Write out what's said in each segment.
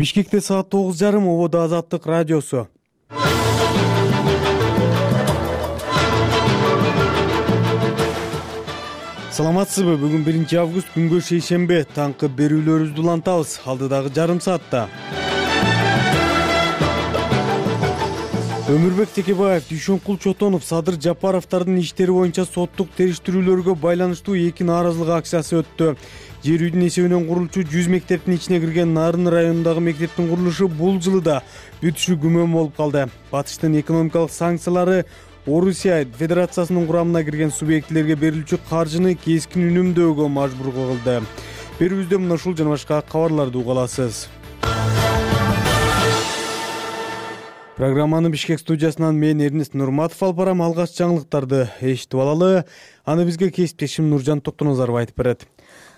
Бишкекте саат 9:30 ободо Азаттык радиосу. Саламатсызбы? Бүгүн 1-август күнгө шейшембе. Таңкы берүүлөрүбүздү улантабыз. Алдыдагы жарым саатта. Өмүрбек Текебаев, Дүйшөнкул Чотонов, Садыр Жапаровдордун иштери боюнча соттук териштирүүлөргө байланыштуу эки нааразылык акциясы өттү. Жер үйдүн эсебинен курулчу 100 мектептин ичине кирген Нарын районундагы мектептин курулушу бул жылы да бүтүшү күмөн болуп калды. Батыштын экономикалык санкциялары Орусия Федерациясынын курамына кирген субъектилерге берилүүчү каржыны кескин үнөмдөөгө мажбур кылды. Берүүбүздө мына ушул жана башка кабарларды уга аласыз. Программаны Бишкек студиясынан мен Эрнест Нурматов алып барам. Алгач жаңылыктарды эшитип алалы. Аны бизге кесиптешим Нуржан Токтоназаров айтып берет.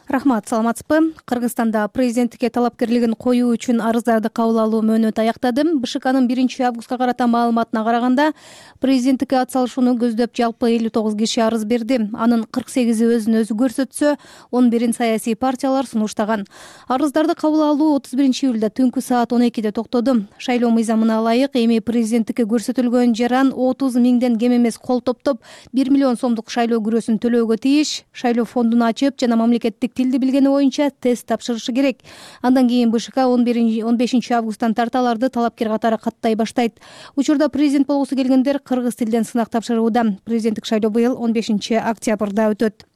Рахмат, саламатсызбы? Кыргызстанда президенттикке талапкерлигин коюу үчүн арыздарды кабыл алуу мөөнөтү аяктады. БШКнын 1-августка карата маалыматына караганда, президенттикке ат салышууну көздөп жалпы 59 киши арыз берди. Анын 48-и өзүн өзү көрсөтсө, 11-ин саясий партиялар сунуштаган. Арыздарды кабыл алуу 31-июлда түнкү саат 12-де токтоду. Шайлоо мыйзамына ылайык эми президенттикке көрсөтүлгөн жаран 30 миңден кем эмес кол топтоп 1 миллион сомдук шайлоо күрөсүн төлөөгө тийиш. Шайлоо фондун ачып жана мамлекеттик тилди билгени боюнча тест тапшырышы керек. Андан кийин БШК 15-августтан тарталарды талапкер катары каттай баштайт. Учурда президент болгусу келгендер кыргыз тилден сынак тапшырууда. Президенттик шайлоо быйыл 15-октябрда өтөт.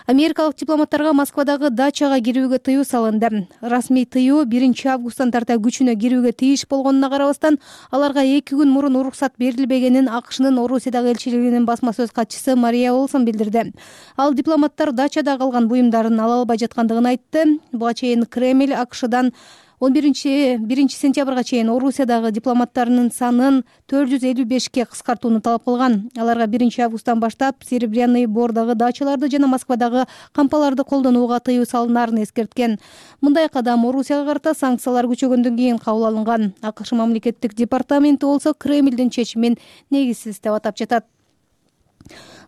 Америкалык дипломаттарга Москвадагы дачага кирүүгө тыюу салынды. Расмий тыюу 1-августтан тарта күчүнө кирүүгө тийиш болгонуна карабастан, аларга 2 күн мурун уруксат берилбегенин АКШнын Орусиядагы элчилигинин басма сөз катчысы Мария Олсон билдирди. Ал дипломаттар дачада калган буюмдарын ала албай жаткандыгын айтты. Буга чейин Кремль АКШдан 1 сентябрга чейин Орусиядагы дипломаттарынын санын 455ке кыскартууну талап кылган. Аларга 1-августтан баштап Серебряный Бордагы дачаларды жана Москвадагы кампаларды колдонууга тыюу салынарын эскерткен. Мындай кадам Орусияга карата санкциялар күчөгөндөн кийин кабыл алынган. АКШ мамлекеттик департаменти болсо Кремлдин чечимин негизсиз деп атап жатат.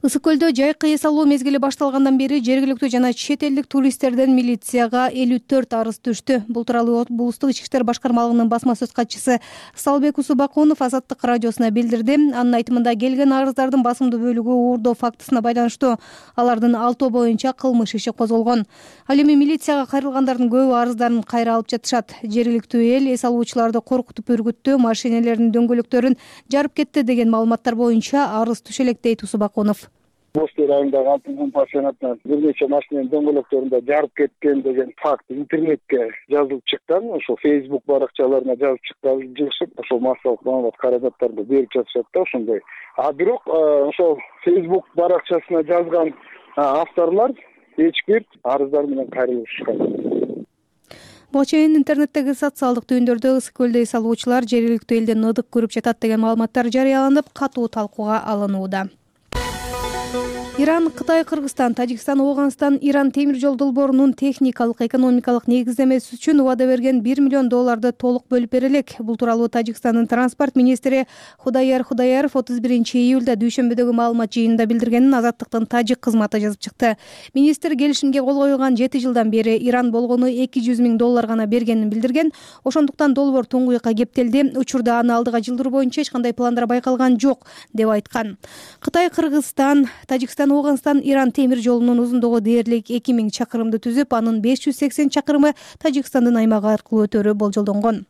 Ысык көлдө жайкы эс алуу мезгили башталгандан бери жергиликтүү жана чет элдик туристтерден милицияга 54 арыз түштү. Бул тууралуу облустук ички иштер башкармалыгынын басма сөз катчысы Салбек Усубакунов Азаттык радиосуна билдирди. Анын айтымында келген арыздардын басымдуу бөлүгү уурдоо фактысына байланыштуу. Алардын 6 боюнча кылмыш иши козголгон. Ал эми милицияга кайрылгандардын көбү арыздарын кайра алып жатышат. Жергиликтүү эл эс алуучуларды коркутуп үргүттү, машинелердин дөңгөлөктөрүн жарып кетти деген маалыматтар боюнча арыз түшө элек дейт Усубакунов. Бостой районундагы алтын пансионатынан бир нече машинанын дөңгөлөктөрүндө жарып кеткен деген факт интернетке жазылып чыккан. Ошол Facebook баракчаларына жазып чыккан, ошол массалык маалымат каражаттарды берип жатышат да ошондой. Бирок ошол Facebook баракчасына жазган авторлор эч бир арыздар менен кайрылышкан. Буга чейин интернеттеги социалдык түйүндөрдө ысык көлдө эс алуучулар жергиликтүү элден ыдык көрүп жатат деген маалыматтар жарыяланып, катуу талкууга алынууда. Иран, Кытай, Кыргызстан, Тажикстан, Ооганстан Иран темир жол долбоорунун техникалык, экономикалык негиздемеси үчүн убада берген $1 миллион толук бөлүп берилек. Бул тууралуу Тажикстандын транспорт министри Худаяр Худаяров 31-июлда дүйшөмбөдөгү маалымат жыйынында билдиргенин Азаттыктын тажик кызматы жазып чыкты. Министр келишимге кол койгон 7 жылдан бери Иран болгону $200 миң гана бергенин билдирген. Ошондуктан долбоор туңгуйка кептелди. Учурда аны алдыга жылдыруу боюнча эч кандай пландар байкалган жок деп айткан. Кытай, Кыргызстан, Тажикстан, Ооганстан Иран темир жолунун узундугу дээрлик 2000 чакырымды түзүп, анын 580 чакырымы Тажикстандын аймагы аркылуу өтөрү болжолдонгон.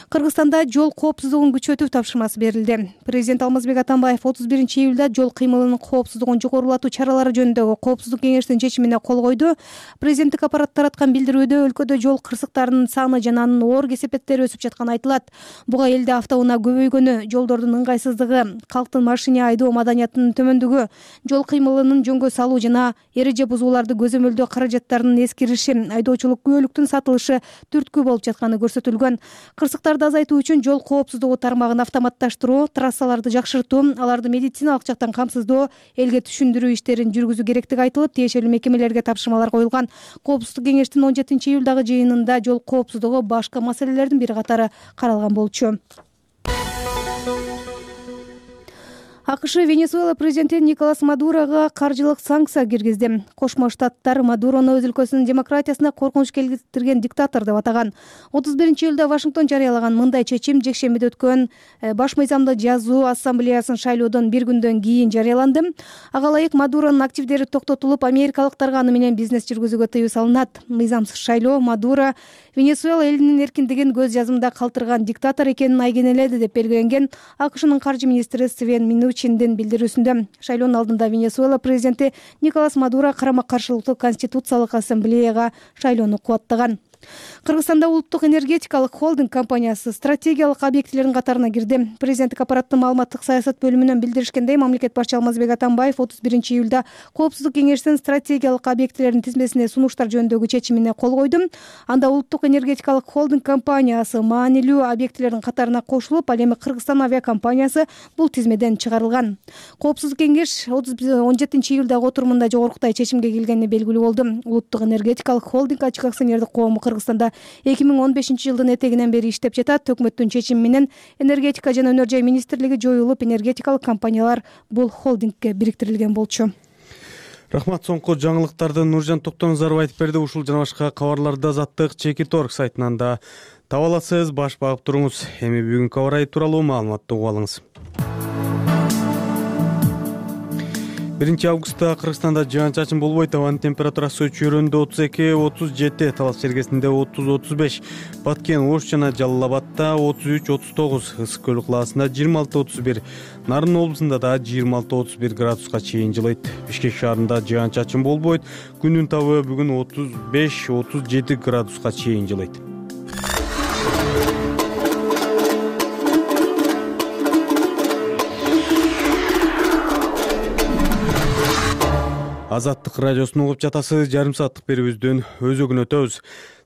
Кыргызстанда жол коопсуздугун күчөтүү тапшырмасы берилди. Президент Алмазбек Атамбаев 31-июлда жол кыймылынын коопсуздугун жогорулатуу чаралары жөнүндөгү коопсуздук кеңештин чечимине кол койду. Президенттик аппарат тараткан билдирүүдө өлкөдө жол кырсыктарынын саны жана анын оор кесепеттери өсүп жатканы айтылат. Буга элде автоунаа көбөйгөнү, жолдордун ыңгайсыздыгы, калктын машине айдоо маданиятынын төмөндүгү, жол кыймылынын жөнгө салуу жана эреже бузууларды көзөмөлдөө каражаттарынын эскириши, айдоочулук күбөлүктүн сатылышы түрткү болуп жатканы көрсөтүлгөн. Кырсыктарды азайтуу үчүн жол коопсуздугу тармагын автоматташтыруу, трассаларды жакшыртуу, аларды медициналык жактан камсыздоо, элге түшүндүрүү иштерин жүргүзүү керектиги айтылып, тиешелүү мекемелерге тапшырмалар коюлган. Коопсуздук кеңештин 17-июлдагы жыйынында жол коопсуздугу башка маселелердин бири катары каралган болчу. АКШ Венесуэла президенти Николас Мадурога каржылык санкция киргизди. Кошмо Штаттар Мадурону өз өлкөсүнүн демократиясына коркунуч келтирген диктатор деп атаган. 31-июлда Вашингтон жарыялаган мындай чечим жекшембиде өткөн баш мыйзамдуу жазуу ассамблеясын шайлоодон бир күндөн кийин жарыяланды. Ага ылайык Мадуронун активдери токтотулуп, америкалыктарга аны менен бизнес жүргүзүүгө тыюу салынат. Мыйзамсыз шайлоо Мадуро Венесуэла элинин эркиндигин көз жазымда калтырган диктатор экенин айгинеледи деп белгиленген АКШнын каржы министри Свен Минучиндин билдирүүсүндө. Шайлоонун алдында Венесуэла президенти Николас Мадуро карама-каршылыктуу конституциялык ассамблеяга шайлоону кубаттаган. Кыргызстанда улуттук энергетикалык холдинг компаниясы стратегиялык объектилердин катарына кирди. Президенттик аппараттын маалыматтык саясат бөлүмүнөн билдиришкендей, мамлекет башчы Алмазбек Атамбаев 31-июлда Коопсуздук кеңешинин стратегиялык объектилердин тизмесине сунуштар жөнүндөгү чечимине кол койду. Анда улуттук энергетикалык холдинг компаниясы маанилүү объектилердин катарына кошулуп, ал эми Кыргызстан авиакомпаниясы бул тизмеден чыгарылган. Коопсуздук кеңеш 17-июлдагы отурумунда жогоркудай чечимге келгени белгилүү болду. Улуттук энергетикалык холдинг ачык акционердик коому Кыргызстанда 2015-жылдын этегинен бери иштеп жатат. Өкмөттүн чечими менен энергетика жана өнөр жай министрлиги жоюлуп, энергетикалык компаниялар бул холдингке бириктирилген болчу. Рахмат. Соңку жаңылыктарды Нуржан Токтоназаров айтып берди. Ушул жана башка кабарларды Азаттык Чекит.орг сайтынан да таба аласыз. Баш багып туруңуз. Эми бүгүнкү аба ырайы тууралуу маалыматты угуп алыңыз. 1-августта Кыргызстанда жаан-чачын болбойт. Абанын температурасы Чөйрөндө 32-37, Талас Чергесинде 30-35, Баткен, Ош жана Жалал Абадта 33-39, Ысык көл калаасында 26-31, Нарын облусунда да 26-31 градуска чейин жылыйт. Бишкек шаарында жаан-чачын болбойт. Күндүн табы бүгүн 35-37 градуска чейин жылыйт. Азаттык радиосун угуп жатасыз. Жарым сааттык берүүбүздүн өзөгүн өтөбүз.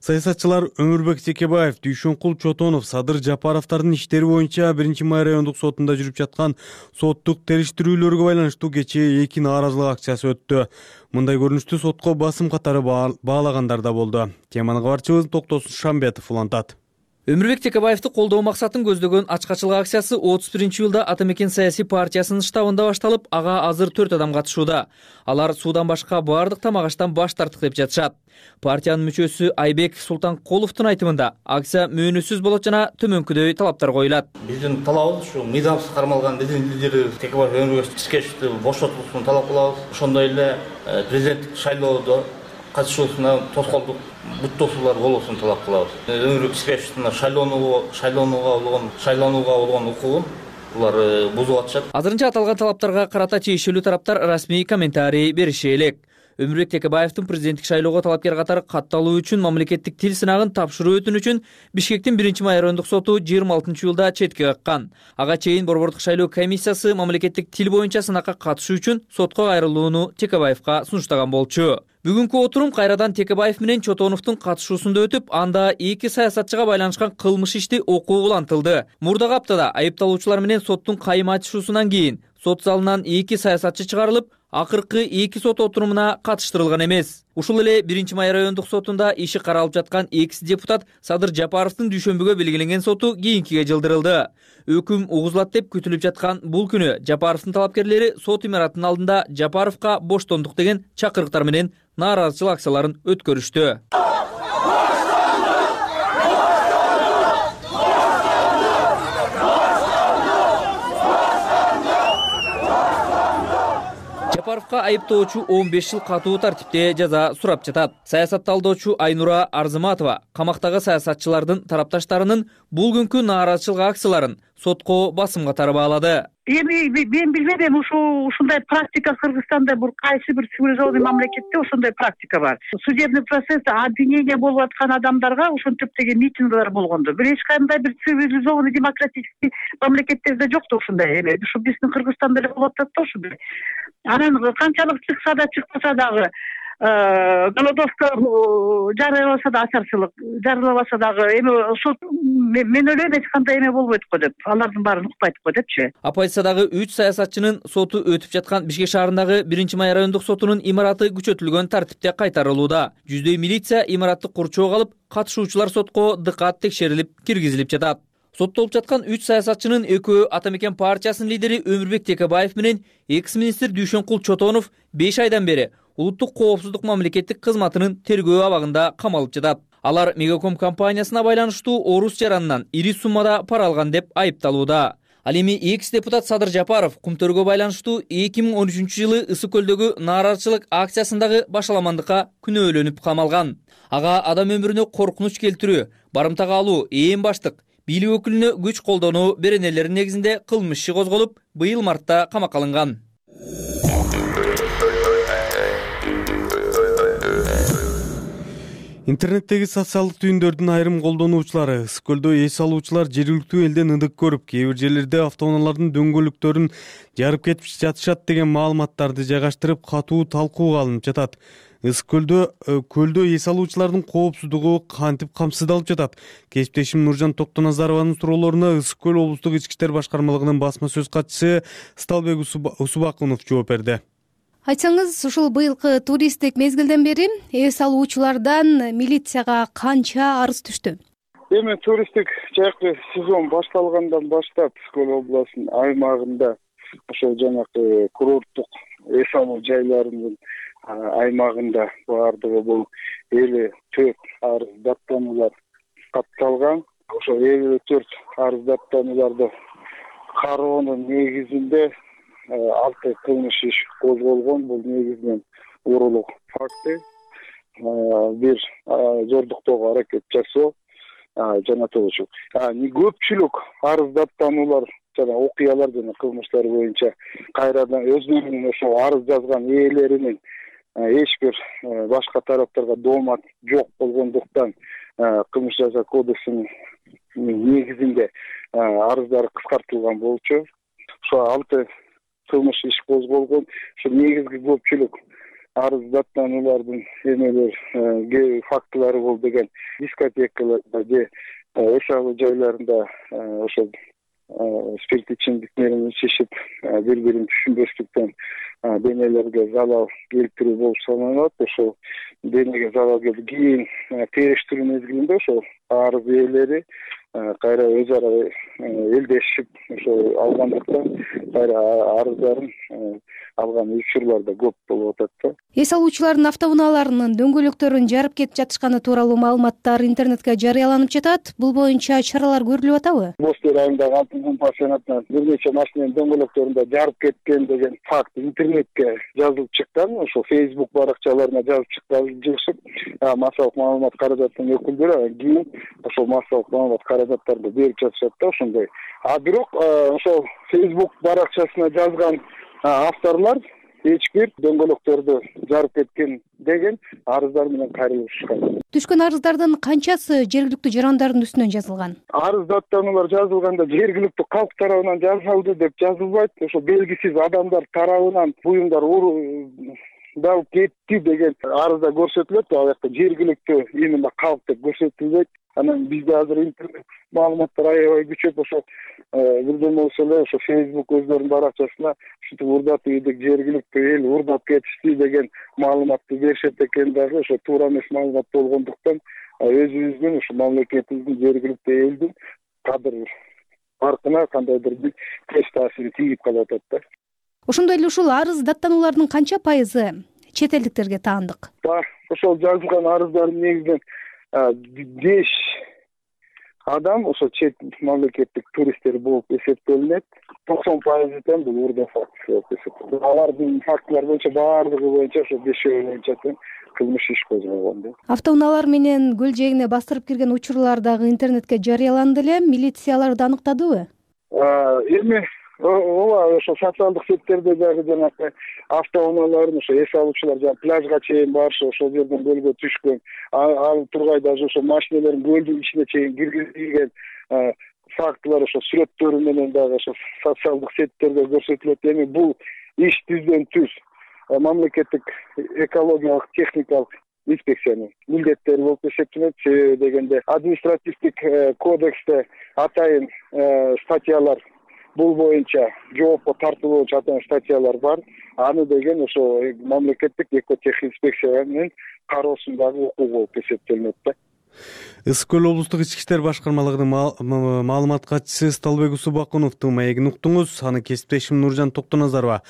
Саясатчылар Өмүрбек Текебаев, Дүйшөнкул Чотонов, Садыр Жапаровдордун иштери боюнча 1-май райондук сотунда жүрүп жаткан соттук териштирүүлөргө байланыштуу кечээ 2 нааразылык акциясы өттү. Мындай көрүнүштү сотко басым катары баалагандар да болду. Теманы кабарчыбыз Токтосун Шамбетов улантат. Өмүрбек Текебаевди колдоо максатын көздөгөн ачкачылык акциясы 31-июлда Ата Мекен саясий партиясынын штабында башталып, ага азыр 4 адам катышууда. Алар суудан башка баардык тамак аштан баш тарттык деп жатышат. Партиянын мүчөсү Айбек Султанкуловдун айтымында акция мөөнөтсүз болот жана төмөнкүдөй талаптар коюлат. Биздин талабыбыз ушу мыйзамсыз кармалган лидери Текебаев Өмүрбек Текебаевди бошотулуусун талап кылабыз. Ошондой эле президенттик шайлоодо катышуусуна тоскоолдук буттоосулар болуусун талап кылабыз. Өмүрбек Текебаевдин шайлоонууга болгон укугун булар бузуп атышат. Азырынча аталган талаптарга карата тиешелүү тараптар расмий комментарий бериши элек. Өмүрбек Текебаевдин президенттик шайлоого талапкер катары катталуу үчүн мамлекеттик тил сынагын тапшыруу өтүнүчүн Бишкектин 1-май райондук соту 26-июлда четке каккан. Ага чейин борбордук шайлоо комиссиясы мамлекеттик тил боюнча сынакка катышуу үчүн сотко кайрылууну Текебаевга сунуштаган болчу. Бүгүнкү отурум кайрадан Текебаев менен Чотоновдун катышуусунда өтүп, анда 2 саясатчыга байланышкан кылмыш ишти окуу улантылды. Мурдагы аптада айыпталуучулар менен соттун кайым айтышуусунан кийин сот залынан 2 саясатчы чыгарылып, акыркы 2 сот отурумуна катыштырылган эмес. Ушул эле 1-май райондук сотунда иши каралып жаткан экс-депутат Садыр Жапаровдун дүйшөмбүгө белгиленген соту кийинкиге жылдырылды. Өкүм угузулат деп күтүлүп жаткан бул күнү Жапаровдун талапкерлери сот имаратынын алдында Жапаровго боштондук деген чакырыктар менен нааразычылык акцияларын өткөрүштү. Жапаровго айыптоочу 15 жыл катуу тартипте жаза сурап жатат. Саясатталдоочу Айнура Арзыматова камактагы саясатчылардын тарапташтарынын бул күнкү нааразычылык акцияларын сотко басым катары баалады. Эми мен билбейм, ушундай практика Кыргызстанда кайсы бир цивилизованный мамлекетте ошондой практика бар. Судебный процесс обвинение болуп аткан адамдарга ошентип деген митинглер болгондо. Бир эч кандай бир цивилизованный демократический мамлекеттерде жок да ушундай эме. Ушу биздин Кыргызстанда эле болуп атат да ушундай. Анан канчалык чыкса да чыкпаса дагы голодовка жарыяласа да ачарчылык жарыялабаса дагы эми сот мен ойлойм эч кандай эме болбойт го деп, алардын баарын укпайт го депчи. Оппозициядагы 3 саясатчынын соту өтүп жаткан Бишкек шаарындагы 1-май райондук сотунун имараты күчөтүлгөн тартипте кайтарылууда. Жүздөй милиция имаратты курчоого алып, катышуучулар сотко дыкат текшерилип, киргизилип жатат. Соттолуп жаткан 3 саясатчынын экөө Ата Мекен партиясынын лидери Өмүрбек Текебаев менен экс-министр Дүйшөнкул Чотонов 5 айдан бери улуттук коопсуздук мамлекеттик кызматынын тергөө абагында камалып жатат. Алар Мегаком компаниясына байланыштуу орус жаранынан ири суммада пара алган деп айыпталууда. Ал эми экс-депутат Садыр Жапаров кумтөргө байланыштуу 2013-жылы Ысык көлдөгү нааразычылык акциясындагы башаламандыкка күнөөлөнүп камалган. Ага адам өмүрүнө коркунуч келтирүү, барымтага алуу, ээн баштык, бийлик өкүлүнө күч колдонуу беренелеринин негизинде кылмыш иши козголуп, быйыл мартта камакка алынган. Интернеттеги социалдык түйүндөрдүн айрым колдонуучулары Ысык көлдө эс алуучулар жергиликтүү элден ындык көрүп, кээ бир жерлерде автоунаалардын дөңгөлөктөрүн жарып кетип жатышат деген маалыматтарды жайгаштырып, катуу талкууга алынып жатат. Ысык көлдө эс алуучулардын коопсуздугу кантип камсыздалып жатат? Кесиптешим Нуржан Токтоназарованын суроолоруна Ысык көл облустук ички иштер башкармалыгынын басма сөз катчысы Сталбек Усубакунов жооп берди. Айтсаңыз, ушул быйылкы туристтик мезгилден бери эс алуучулардан милицияга канча арыз түштү? Эми туристтик жакшы сезон башталгандан баштап Ысык көл областынын аймагында ошол жанагы курорттук эс алуу жайларынын аймагында баардыгы бул 54 арыз даттануулар катталган. Ошол 54 арыз даттанууларды кароонун негизинде 6 кылмыш иш козголгон. Бул негизинен уурулук факти, бир зордуктоого аракет жасоо жана т.ч. Көпчүлүк арыз даттануулар жана окуялар жана кылмыштар боюнча кайрадан өзүнүн ошо арыз жазган ээлеринин эч бир башка тараптарга доомат жок болгондуктан кылмыш жаза кодексинин негизинде арыздары кыскартылган болчу. Ошо 6 кылмыш иш козголгон. Ошо негизги көпчүлүк арыз даттануулардын эмелер фактылары бул деген дискотекаларда же эс алуу жайларында ошо спирт ичимдиктерин ичишип, бири-бирин түшүнбөстүктөн денелерге залал келтирүү болуп саналат. Ошол денеге залал келип, кийин териштирүү мезгилинде ошол арыз ээлери кайра өз ара элдешип ошо алгандыктан кайра арыздарын алган учурлар да көп болуп атат да. Эс алуучулардын автоунааларынын дөңгөлөктөрүн жарып кетип жатышканы тууралуу маалыматтар интернетке жарыяланып жатат. Бул боюнча чаралар көрүлүп атабы? Бостер айындагы Алтын пансионатынан бир нече машинанын дөңгөлөктөрүндө жарып кеткен деген факт интернетке жазылып чыккан. Ошо Facebook баракчаларына жазып чыккан. Массалык маалымат каражатынын өкүлдөрү кийин ошол массалык маалымат каражаттарды берип жатышат да ошондой. Бирок ошол Facebook баракчасына жазган авторлор эч бир дөңгөлөктөрдү жарып кеткен деген арыздар менен кайрылып чыккан. Түшкөн арыздардын канчасы жергиликтүү жарандардын үстүнөн жазылган? Арыз даттануулар жазылганда жергиликтүү калк тарабынан жасалды деп жазылбайт. Ошо белгисиз адамдар тарабынан буюмдар уралып кетти деген арызда көрсөтүлөт. Ал жакта жергиликтүү именно калк деп көрсөтүлбөйт. Анан бизде азыр интернет маалыматтар аябай күчөп, ошо бирден болсо эле ошо Facebook өздөрүнүн баракчасына ушинтип урдатып ийдик, жергиликтүү эл урдап кетишти деген маалыматты беришет экен дагы. Ошо туура эмес маалымат болгондуктан өзүбүздүн ушу мамлекетибиздин жергиликтүү элдин кадыр паркына кандайдыр бир терс таасири тийип калып атат да. Ошондой эле ушул арыз даттануулардын канча пайызы чет элдиктерге таандык? Ошол жазылган арыздардын негизинен 5 адам ошо чет мамлекеттик туристтер болуп эсептелинет. 90% тең бул урда факт болуп эсептелет. Алардын фактылар боюнча баардыгы боюнча ошо 5 боюнча тең кылмыш иш козголгон. Автоунаалар менен көл жээгине бастырып кирген учурлар дагы интернетке жарыяланды эле. Милицияларды аныктадыбы? Эми ооба ошо социалдык сеттерде дагы жанагы автоунааларын ошо эс алуучулар жана пляжга чейин барышы, ошол жерден көлгө түшкөн, ал тургай даже ошо машиналерин көлдүн ичине чейин киргизилген фактылар ошо сүрөттөрү менен дагы ошо социалдык сеттерде көрсөтүлөт. Эми бул иш түздөн түз мамлекеттик экологиялык техникалык инспекциянын милдеттери болуп эсептелет. Себеби дегенде административдик кодексте атайын статьялар бул боюнча жоопко тартылуу боюнча атайын статьялар бар. Аны деген ошо мамлекеттик экотех инспекциянын кароосундагы укук болуп эсептелинет да. Ысык көл облустук ички иштер башкармалыгынын маалымат катчысы Сталбек Усубакуновдун маегин уктуңуз. Аны кесиптешим Нуржан Токтоназарова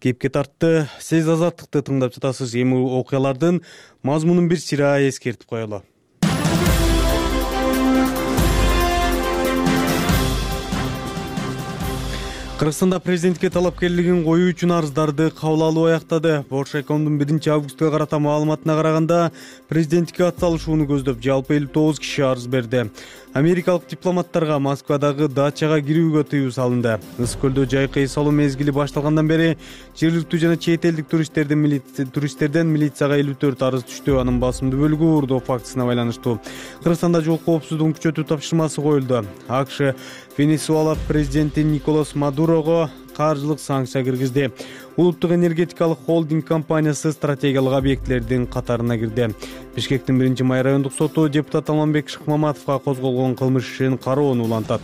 кепке тартты. Сиз Азаттыкты тыңдап жатасыз. Эми окуялардын мазмунун бир сыйра эскертип коелу. Кыргызстанда президентке талапкерлигин коюу үчүн арыздарды кабыл алуу аяктады. Боршайкомдун 1-августка карата маалыматына караганда, президентке атсалышууну көздөп жалпы 59 киши арыз берди. Америкалык дипломаттарга Москвадагы дачага кирүүгө тыюу салынды. Ысык көлдө жайкы эс алуу мезгили башталгандан бери жергиликтүү жана чет элдик туристтерден милицияга 54 арыз түштү. Анын басымдуу бөлүгү уурдоо фактысына байланыштуу. Кыргызстанда жол коопсуздугун күчөтүү тапшырмасы коюлду. АКШ Венесуэла президенти Николас Мадурого каржылык санкция киргизди. Улуттук энергетикалык холдинг компаниясы стратегиялык объектилердин катарына кирди. Бишкектин 1-Май райондук соту депутат Алмамбек Шыкмаматовго козголгон кылмыш ишин кароону улантат.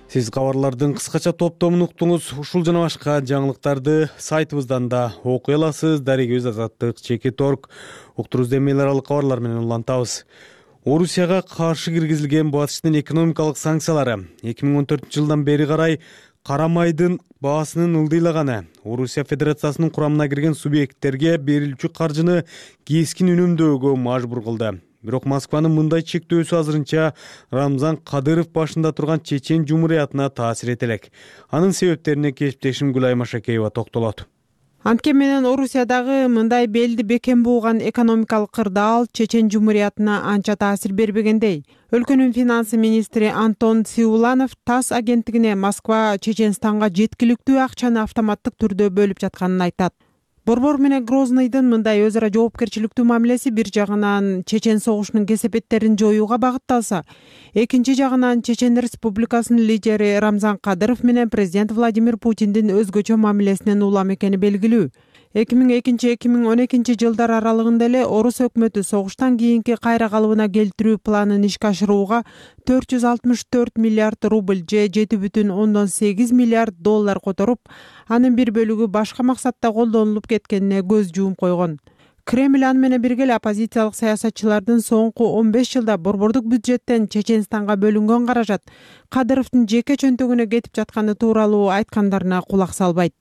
Сиз кабарлардын кыскача топтомун уктуңуз. Ушул жана башка жаңылыктарды сайтыбыздан да окуй аласыз. Дарегибиз Азаттык /org. Уктуруубузду эл аралык кабарлар менен улантабыз. Орусияга каршы киргизилген батыштын экономикалык санкциялары 2014 жылдан бери карай кара майдын баасынын ылдыйлаганы, Орусия Федерациясынын курамына кирген субъекттерге берилүүчү каржыны кескин үнөмдөөгө мажбур кылды. Бирок Москванын мындай чектөөсү азырынча Рамзан Кадыров башында турган Чечен Жумуриятына таасир эте элек. Анын себептерине кесиптешим Гүлай Машакеева токтолот. Анткени менен Орусиядагы мындай белди бекем бууган экономикалык кырдаал Чечен Жумуриятына анча таасир бербегендей. Өлкөнүн финансы министри Антон Сиуланов ТАСС агенттигине Москва Чеченстанга жеткиликтүү акчаны автоматтык түрдө бөлүп жатканын айтат. Борбор менен Грозныйдын мындай өз ара жоопкерчиликтүү мамилеси бир жагынан Чечен согушунун кесепеттерин жоюуга багытталса, экинчи жагынан Чечен Республикасынын лидери Рамзан Кадыров менен президент Владимир Путиндин өзгөчө мамилесинен улам экени белгилүү. 2002-2012 жылдар аралыгында эле Орус өкмөтү согуштан кийинки кайра калыбына келтирүү планын ишке ашырууга 464 миллиард рубль же 7,8 миллиард доллар которуп, анын бир бөлүгү башка максатта колдонулуп кеткенине көз жуум койгон. Кремль аны менен бирге эле оппозициялык саясатчылардын соңку 15 жылда борбордук бюджеттен Чеченстанга бөлүнгөн каражат Кадыровдун жеке чөнтөгүнө кетип жатканы тууралуу айткандарына кулак салбайт.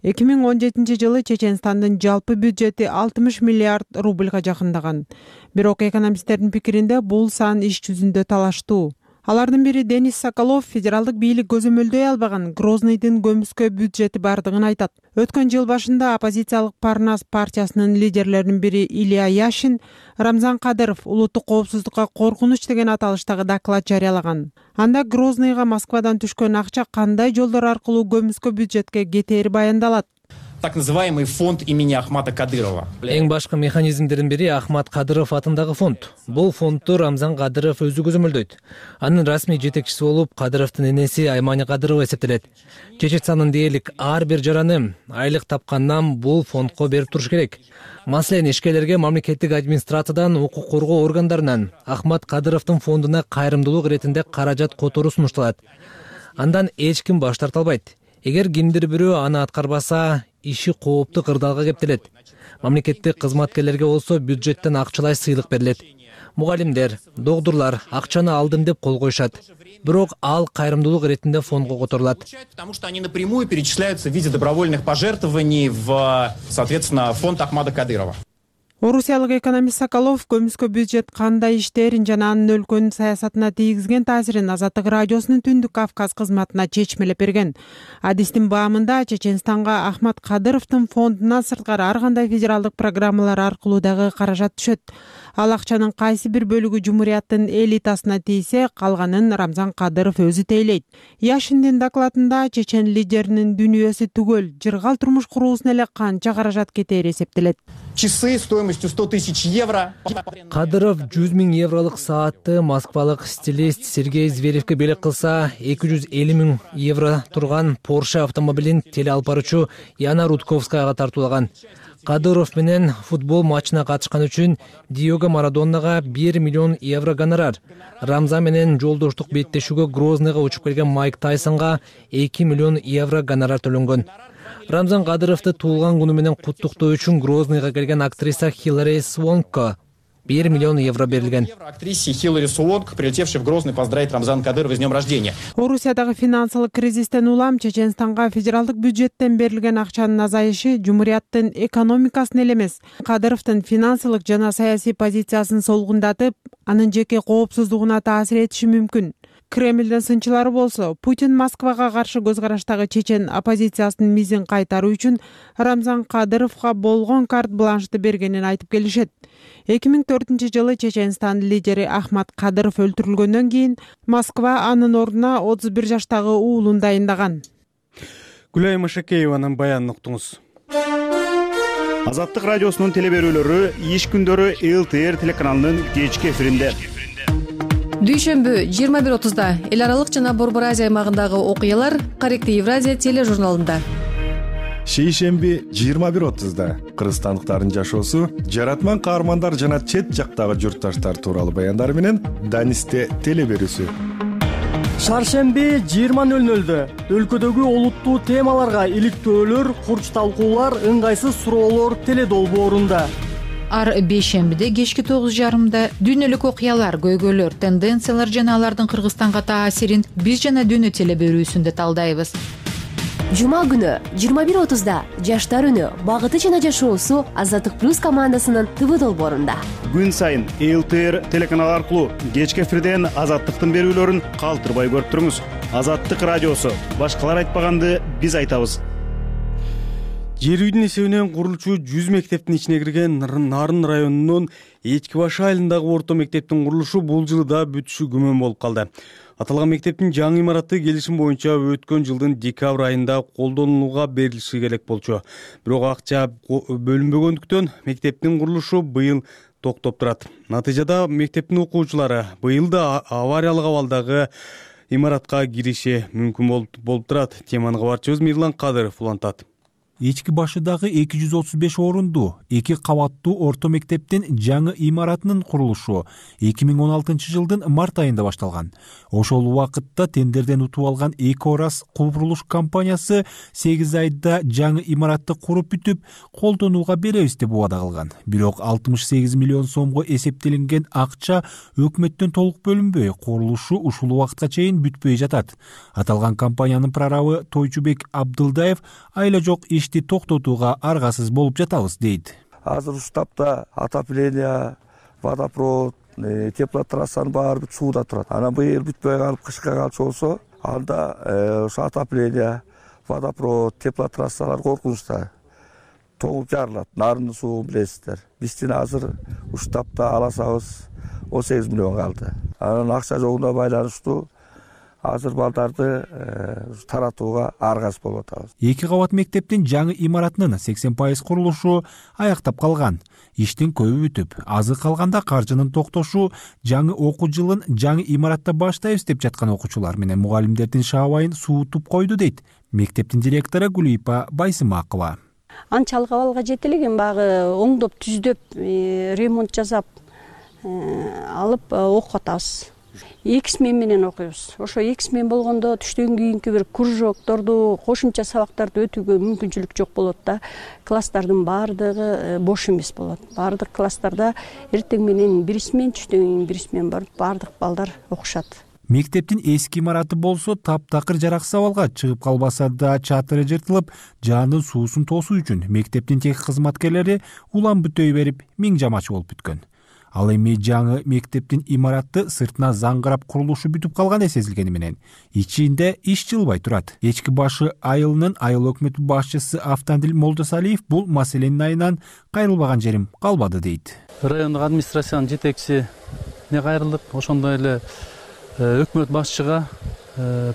2017 жылы Чеченстандын жалпы бюджети 60 миллиард рубльга жакындаган. Бирок экономисттердин пикиринде бул сан иш жүзүндө талаштуу. Алардын бири Денис Соколов федералдык бийлик көзөмөлдөй албаган Грозныйдын көмүскө бюджети бардыгын айтат. Өткөн жыл башында оппозициялык Парнас партиясынын лидерлеринин бири Илья Яшин Рамзан Кадыров улуттук коопсуздукка коркунуч деген аталыштагы доклад жарыялаган. Анда Грозныйга Москвадан түшкөн акча кандай жолдор аркылуу көмүскө бюджетке кетери баяндалат. Так называемый фонд имени Ахмата Кадырова. Эң башкы механизмдердин бири Ахмат Кадыров атындагы фонд. Бул фондду Рамзан Кадыров өзү көзөмөлдөйт. Анын расмий жетекчиси болуп Кадыровдун энеси Аймани Кадырова эсептелет. Чеченстандын дээрлик ар бир жараны айлык тапкандан бул фондко берип туруш керек. Маселен, ишкерлерге мамлекеттик администрациядан, укук коргоо органдарынан Ахмат Кадыровдун фондуна кайрымдуулук иретинде каражат которуу сунушталат. Андан эч ким баш тарта албайт. Эгер кимдир бирөө аны аткарбаса, иши кооптуу кырдаалга кептелет. Мамлекеттик кызматкерлерге болсо бюджеттен акчалай сыйлык берилет. Мугалимдер, доктурлар акчаны алдым деп кол коюшат. Бирок ал кайрымдуулук иретинде фондго которулат. Потому что они напрямую перечисляются в виде добровольных пожертвований в, соответственно, фонд Ахмада Кадырова. Орусиялык экономист Соколов көмүскө бюджет кандай иштерин жана анын өлкөнүн саясатына тийгизген таасирин Азаттык радиосунун Түндүк Кавказ кызматына чечмелеп берген. Адистин баамында Чеченстанга Ахмат Кадыровдун фондунан сырткары ар кандай федералдык программалар аркылуу дагы каражат түшөт. Ал акчанын кайсы бир бөлүгү Жумурияттын элитасына тийсе, калганын Рамзан Кадыров өзү тейлейт. Яшиндин докладында Чечен лидеринин дүнүйөсү түгөл жыргал турмуш куруусуна эле канча каражат кетери эсептелет. Часы стоимостью 100 тысяч евро. Кадыров 100 000 евролук саатты москвалык стилист Сергей Зверевке белек кылса, 250 000 евро турган Porsche автомобилин теле алып баруучу Яна Рудковскаяга тартуулаган. Кадыров менен футбол матчына катышкан үчүн Диего Марадоннага 1 миллион евро гонорар. Рамзан менен жолдоштук беттешүүгө Грозныйга учуп келген Майк Тайсонга 2 миллион евро гонорар төлөнгөн. Рамзан Кадыровду туулган күнү менен куттуктоо үчүн Грозныйга келген актриса Хиллари Свонко 1 миллион евро берилген. Актрисе Хиллари Свонко, прилетевшей в Грозный, поздравить Рамзана Кадырова с днем рождения. Орусиядагы финансылык кризистен улам Чеченстанга федералдык бюджеттен берилген акчанын азайышы жумурияттын экономикасын эле эмес, Кадыровдун финансылык жана саясий позициясын солгундатып, анын жеке коопсуздугуна таасир этиши мүмкүн. Кремлдин сынчылары болсо, Путин Москвага каршы көз караштагы чечен оппозициясынын мизин кайтаруу үчүн Рамзан Кадыровго болгон карт-бланшты бергенин айтып келишет. 2004-жылы Чеченстан лидери Ахмад Кадыров өлтүрүлгөндөн кийин Москва анын ордуна 31 жаштагы уулун дайындаган. Гүлай Машакееванын баянын уктуңуз. Азаттык радиосунун телеберүүлөрү иш күндөрү ЛТР телеканалынын кечки эфиринде. Дүйшөмбү 21:30 эл аралык жана Борбор Азия аймагындагы окуялар Корректив Евразия тележурналында. Шейшемби 21:30 кыргызстандыктардын жашоосу, жаратман каармандар жана чет жактагы журтташтар тууралуу баяндар менен Данисте телеберүүсү. Шаршемби 20:00 өлкөдөгү олуттуу темаларга иликтөөлөр, курч талкуулар, ыңгайсыз суроолор теледолбоорунда. Ар бейшембиде кечки 9:30 дүйнөлүк окуялар, көйгөйлөр, тенденциялар жана алардын Кыргызстанга таасирин биз жана дүйнө телеберүүсүндө талдайбыз. Жума күнү 21:30 Жаштар үнү, багыты жана жашоосу Азаттык плюс командасынын ТВ долбоорунда. Күн сайын ЛТР телеканалы аркылуу кечки эфирден Азаттыктын берүүлөрүн калтырбай көрүп туруңуз. Азаттык радиосу, башкалар айтпаганды биз айтабыз. Жер үйдүн эсебинен курулчу 100 мектептин ичине кирген Нарын районунун Эчки баш айылындагы орто мектептин курулушу бул жылы да бүтүшү күмөн болуп калды. Аталган мектептин жаңы имараты келишим боюнча өткөн жылдын декабрь айында колдонулууга берилиши керек болчу. Бирок акча бөлүнбөгөндүктөн мектептин курулушу быйыл токтоп турат. Натыйжада мектептин окуучулары быйыл да авариялык абалдагы имаратка кириши мүмкүн болуп турат. Теманы кабарчыбыз Мирлан Кадыров улантат. Эчки башыдагы 235 орунду 2 кабаттуу орто мектептин жаңы имаратынын курулушу 2016 жылдын март айында башталган. Ошол убакытта тендерден утуп алган Эки Орас курулуш компаниясы 8 айда жаңы имаратты куруп бүтүп, колдонууга беребиз деп убада кылган. Бирок 68 миллион сомго эсептелинген акча өкмөттөн толук бөлүнбөй, курулушу ушул убакытка чейин бүтпөй жатат. Аталган компаниянын прорабы Тойчубек Абдылдаев айла жок ишти токтотууга аргасыз болуп жатабыз дейт. Азыр штабта отопление, водопровод, теплотрассанын баары бүт сууда турат. Анан быйыл бүтпөй калып кышка калчу болсо, анда ошо отопление, водопровод, теплотрассалар коркунучта тоңуп жарылат. Нарындын суу билесиздер. Биздин азыр штабта аласабыз 18 миллион калды. Анан акча жогуна байланыштуу азыр балдарды таратууга аргасыз болуп атабыз. 2 кабат мектептин жаңы имаратынын 80% курулушу аяктап калган. Иштин көбү бүтүп, азы калганда каржынын токтошу жаңы окуу жылын жаңы имаратта баштайбыз деп жаткан окуучулар менен мугалимдердин шаабайын суутуп койду дейт мектептин директору Гүлипа Байсымакова. Анчалык абалга жете элеген багы оңдоп, түздөп, ремонт жасап алып окуп атабыз. 2 смена менен окуйбуз. Ошо 2 смена болгондо түштөн кийинки бир кружокторду, кошумча сабактарды өтүүгө мүмкүнчүлүк жок болот да. Класстардын баардыгы бош эмес болот. Баардык класстарда эртең менен 1 смена, түштөн кийин 1 смена барып, баардык балдар окушат. Мектептин эски имараты болсо таптакыр жараксыз абалга чыгып калбаса да чатыры жыртылып, жаандын суусун тосуу үчүн мектептин техник кызматкерлери улам бүтөй берип, миң жамачы болуп бүткөн. Ал эми жаңы мектептин имараты сыртына заңгырап курулушу бүтүп калган сезилгени менен ичинде иш жылбай турат. Эчки башы айылынын айыл өкмөтү башчысы Автандил Молдосалиев бул маселенин айынан кайрылбаган жерим калбады дейт. Райондук администрациянын жетекчисине кайрылдык, ошондой эле өкмөт башчыга,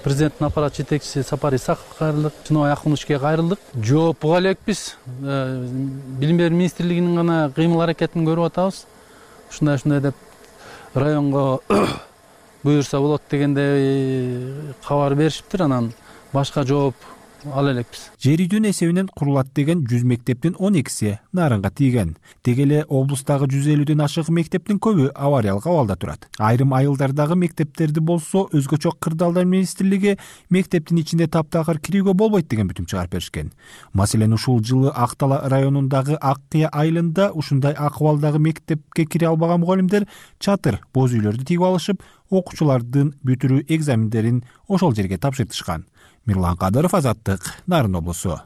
президенттин аппарат жетекчиси Сапар Исаковго кайрылдык, Жыныбай Акуновичке кайрылдык. Жооп буга элекпиз. Билим берүү министрлигинин гана кыймыл аракетин көрүп атабыз. Ушундай деп районго буюрса болот дегенде кабар беришиптир. Анан башка жооп ала элекпиз. Жер үйдүн эсебинен курулат деген 100 мектептин 12си нарынга тийген. Деги эле облустагы 150ден ашык мектептин көбү авариялык абалда турат. Айрым айылдардагы мектептерди болсо өзгөчө Кырдаалдар министрлиги мектептин ичинде таптакыр кирүүгө болбойт деген бүтүм чыгарып беришкен. Маселен, ушул жылы Ак Дала районундагы Ак Кыя айылында ушундай акыбалдагы мектепке кире албаган мугалимдер чатыр боз үйлөрдү тигип алышып, окуучулардын бүтүрүү экзамендерин ошол жерге тапшыртышкан. Мирлан Кадыров, Азаттык, Нарын облусу.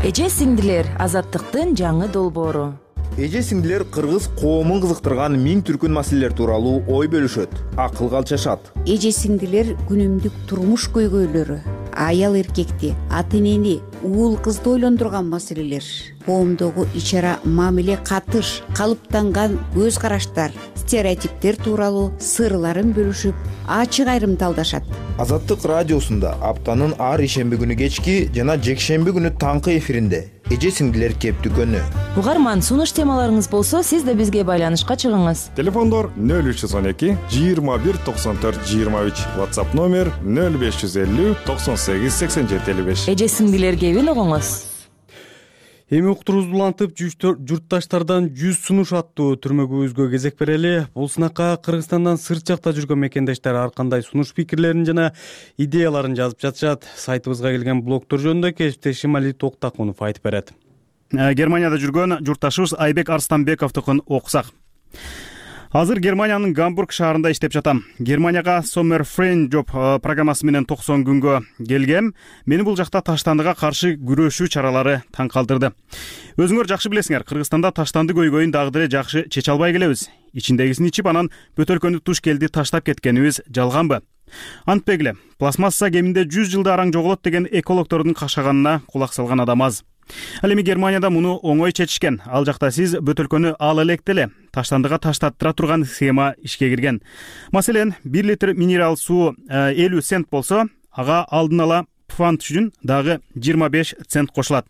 Эже сиңдилер, Азаттыктын жаңы долбоору. Эже сиңдилер кыргыз коомун кызыктырган миң түркүн маселелер тууралуу ой бөлүшөт, акыл калчашат. Эже сиңдилер күнүмдүк турмуш көйгөйлөрү, аял эркекти, ата энени, уул кызды ойлондурган маселелер, коомдогу ич-ара мамиле, катыш, калыптанган көз караштар, стереотиптер тууралуу сырларын бөлүшүп, ачык айрымталдашат. Азаттык радиосунда аптанын ар ишемби күнү кечки жана жекшемби күнү таңкы эфиринде эже сиңдилер кептүкөнү. Угарман, сунуш темаларыңыз болсо, сиз да бизге байланышка чыгыңыз. Телефондор 0312 21 94 23, WhatsApp номер 0550 98 87 55. Эже сиңдилер кебин угуңуз. Эми уктурубузду улантып, журтташтардан 100 сунуш аттуу түрмөгүбүзгө кезек берели. Бул сынакка Кыргызстандан сырт жакта жүргөн мекендештер ар кандай сунуш пикирлерин жана идеяларын жазып жатышат. Сайтыбызга келген блогдор жөнүндө кесиптешим Али Токтакунов айтып берет. Германияда жүргөн журтташыбыз Айбек Арстанбековдукун окусак. Азыр Германиянын Гамбург шаарында иштеп жатам. Германияга Summer Friend Job программасы менен 90 күнгө келгем. Мени бул жакта таштандыга каршы күрөшүү чаралары таң калтырды. Өзүңөр жакшы билесиңер, Кыргызстанда таштанды көйгөйүн дагы деле жакшы чече албай келебиз. Ичиндегисин ичип, анан бөтөлкөнү туш келди таштап кеткенибиз жалганбы? Антпегиле, пластмасса кеминде 100 жылда араң жоголот деген экологдордун кашаганына кулак салган адам аз. Ал эми Германияда муну оңой чечишкен. Ал жакта сиз бөтөлкөнү ала электе эле таштандыга таштаттыра турган схема ишке кирген. Маселен, 1 литр минерал суу 50 цент болсо, ага алдын ала пфант үчүн дагы 25 цент кошулат.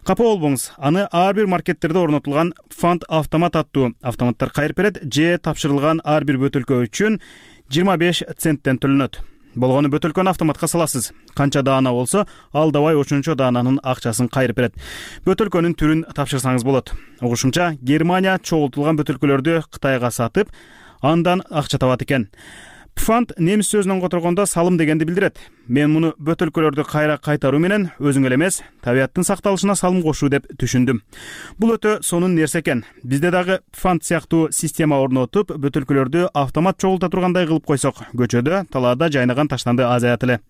Капа болбоңуз, аны ар бир маркеттерде орнотулган пфант автомат аттуу автоматтар кайрып берет, же тапшырылган ар бир бөтөлкө үчүн 25 центтен төлөнөт. Болгону бөтөлкөнү автоматка саласыз. Канча даана болсо, ал давай ошончо даананын акчасын кайрып берет. Бөтөлкөнүн түрүн тапшырсаңыз болот. Угушумча, Германия чогултулган бөтөлкөлөрдү Кытайга сатып, андан акча табат экен. Пфант немис сөзүнөн которгондо салым дегенди билдирет. Мен муну бөтөлкөлөрдү кайра кайтаруу менен өзүң эле эмес, табияттын сакталышына салым кошуу деп түшүндүм. Бул өтө сонун нерсе экен. Бизде дагы пфант сыяктуу система орнотуп, бөтөлкөлөрдү автомат чогулта тургандай кылып койсок, көчөдө, талаада жайнаган таштанды азаят эле.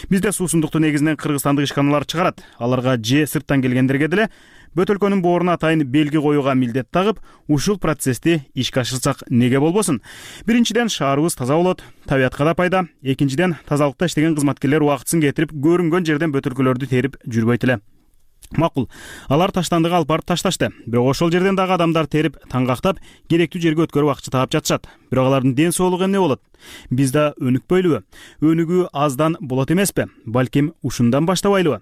Бизде суусундукту негизинен кыргызстандык ишканалар чыгарат. Аларга же сырттан келгендерге деле бөтөлкөнүн бооруна атайын белги коюуга милдет тагып, ушул процессти ишке ашырсак неге болбосун? Биринчиден, шаарыбыз таза болот, табиятка да пайда. Экинчиден, тазалыкта иштеген кызматкерлер убактысын кетирип, көрүнгөн жерден бөтөлкөлөрдү терип жүрбөйт эле. Макул, алар таштандыга алып барып ташташты. Бирок ошол жерден дагы адамдар терип, таңгактап, керектүү жерге өткөрүп акча таап жатышат. Бирок алардын ден соолугу эмне болот? Биз да өнүкпөйлүбү? Өнүгүү аздан болот эмеспи? Балким ушундан баштабайлыбы?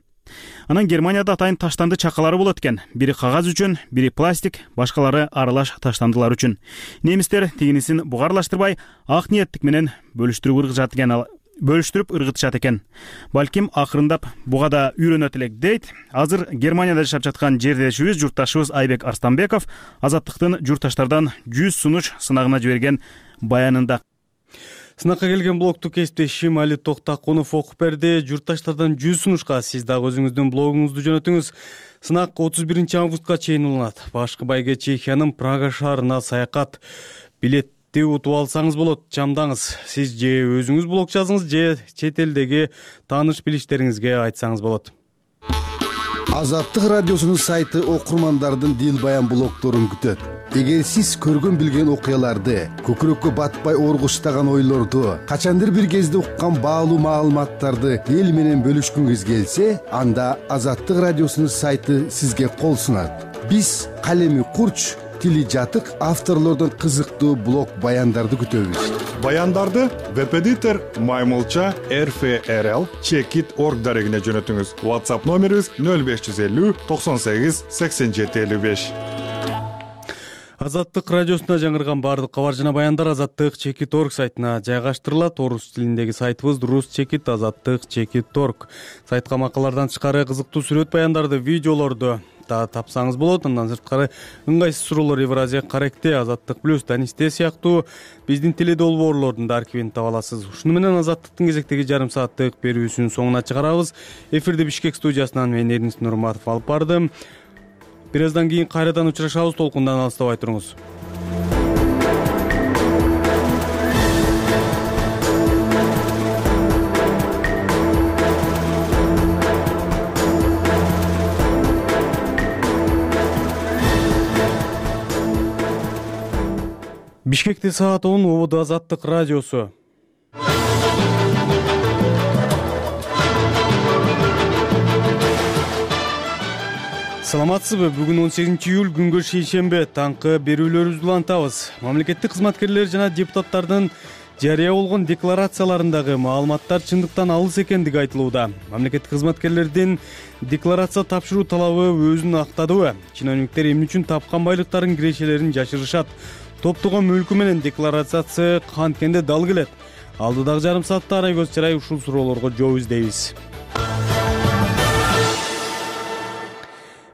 Анан Германияда атайын таштанды чакалары болот экен. Бири кагаз үчүн, бири пластик, башкалары аралаш таштандылар үчүн. Немистер тигинисин бугарлаштырбай, ак ниеттик менен бөлүштүрүп ыргытышат экен. Балким акырындап буга да үйрөнөт элек дейт. Азыр Германияда жашап жаткан жердешибиз, журтташыбыз Айбек Арстанбеков Азаттыктын журтташтардан 100 сунуш сынагына жиберген баянында. Сынакка келген блогту кесиптешим Али Токтакунов окуп берди. Журтташтардан 100 сунушка сиз дагы өзүңүздүн блогуңузду жөнөтүңүз. Сынак 31 августка чейин уланат. Башкы байге Чехиянын Прага шаарына саякат. Билетти утуп алсаңыз болот, чамдаңыз. Сиз же өзүңүз блог жазыңыз, же чет элдеги тааныш билиштериңизге айтсаңыз болот. Азаттык радиосунун сайты окурмандардын дил баян блогдорун күтөт. Эгер сиз көргөн билген окуяларды, көкүрөккө батпай оргуштаган ойлорду, качандыр бир кезде уккан баалуу маалыматтарды эл менен бөлүшкүңүз келсе, анда Азаттык радиосунун сайты сизге кол сунат. Биз калеми курч, тили жатык авторлордон кызыктуу блог баяндарды күтөбүз. Баяндарды веб-эдитор Маймылча RFRL Checkit.org дарегине жөнөтүңүз. WhatsApp номерибиз 0550 98 87 55. Азаттык радиосунда жаңырган баардык кабар жана баяндар Азаттык Чекит.орг сайтына жайгаштырылат. Орус тилиндеги сайтыбыз Рус Чекит Азаттык Чекит.орg. Сайтка макалалардан тышкары кызыктуу сүрөт баяндарды, видеолорду да тапсаңыз болот. Андан сырткары ыңгайсыз суроолор Евразия Корректте, Азаттык Плюс, Данисте сыяктуу биздин теледолбоорлордун да архивин таба аласыз. Ушуну менен Азаттыктын кезектеги жарым сааттык берүүсүнүн соңуна чыгарабыз. Эфирди Бишкек студиясынан мен Эрнис Нурматов алып бардым. Бир аздан кийин кайрадан учурашабыз. Толкундан алыстабай туруңуз. Бишкекте саат 10, ободо Азаттык радиосу. Саламатсызбы? Бүгүн 18 июль, күнгө шейшембе. Таңкы берүүлөрүбүздү улантабыз. Мамлекеттик кызматкерлер жана депутаттардын жарыя болгон декларацияларындагы маалыматтар чындыктан алыс экендиги айтылууда. Мамлекеттик кызматкерлердин декларация тапшыруу талабы өзүн актадыбы? Чиновниктер эмне үчүн тапкан байлыктардын кирешелерин жашырышат? Топтогон мүлкү менен декларация канткенде дал келет? Алдыдагы жарым саатта арай көз чарай ушул суроолорго жооп издейбиз.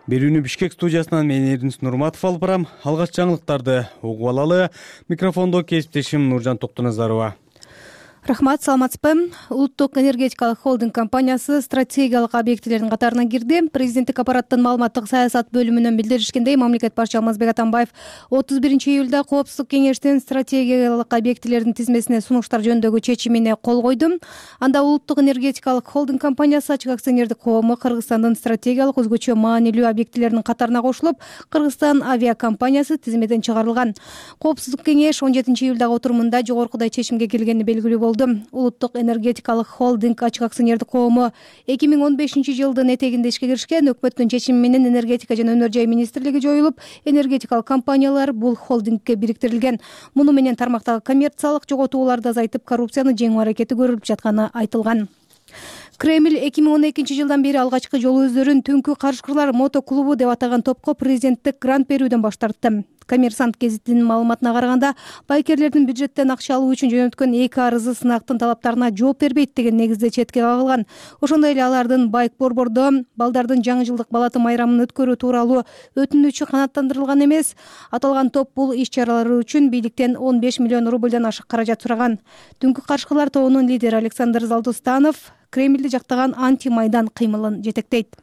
Берүүнү Бишкек студиясынан мен Эрнис Нурматов алып барам. Алгач жаңылыктарды угуп алалы. Микрофондо кесиптешим Нуржан Токтоназарова. Рахмат, саламатсызбы? Улуттук энергетикалык холдинг компаниясы стратегиялык объектилердин катарына кирди. Президенттик аппараттын маалыматтык саясат бөлүмүнөн билдиришкендей, мамлекет башчы Алмазбек Атамбаев 31 июлда Коопсуздук кеңештин стратегиялык объектилердин тизмесине сунуштар жөнүндөгү чечимине кол койду. Анда улуттук энергетикалык холдинг компаниясы ачык акционердик коому Кыргызстандын стратегиялык өзгөчө маанилүү объектилеринин катарына кошулуп, Кыргызстан авиакомпаниясы тизмеден чыгарылган. Коопсуздук кеңеш 17 июлдагы отурумунда жогоркудай чечимге келгени белгилүү болду. Улуттук энергетикалык холдинг ачык акционердик коому 2015 жылдын этегинде ишке киришкен. Өкмөттүн чечими менен энергетика жана өнөр жай министрлиги жоюлуп, энергетикалык компаниялар бул холдингке бириктирилген. Муну менен тармактагы коммерциялык жоготууларды азайтып, коррупцияны жеңүү аракети көрүлүп жатканы айтылган. Кремль 2012 жылдан бери алгачкы жолу өздөрүн түнкү карышкырлар мотоклубу деп атаган топко президенттик грант берүүдөн баш тартты. Коммерсант гезитинин маалыматына караганда, байкерлердин бюджеттен акча алуу үчүн жөнөткөн 2 арызы сынактын талаптарына жооп бербейт деген негизде четке кагылган. Ошондой эле алардын байк борбордо балдардын жаңы жылдык балаты майрамын өткөрүү тууралуу өтүнүчү канааттандырылган эмес. Аталган топ бул иш-чаралары үчүн бийликтен 15 миллион рубльдан ашык каражат сураган. Түнкү карышкырлар тобунун лидери Александр Залдустанов Кремльди жактаган анти-майдан кыймылын жетектейт.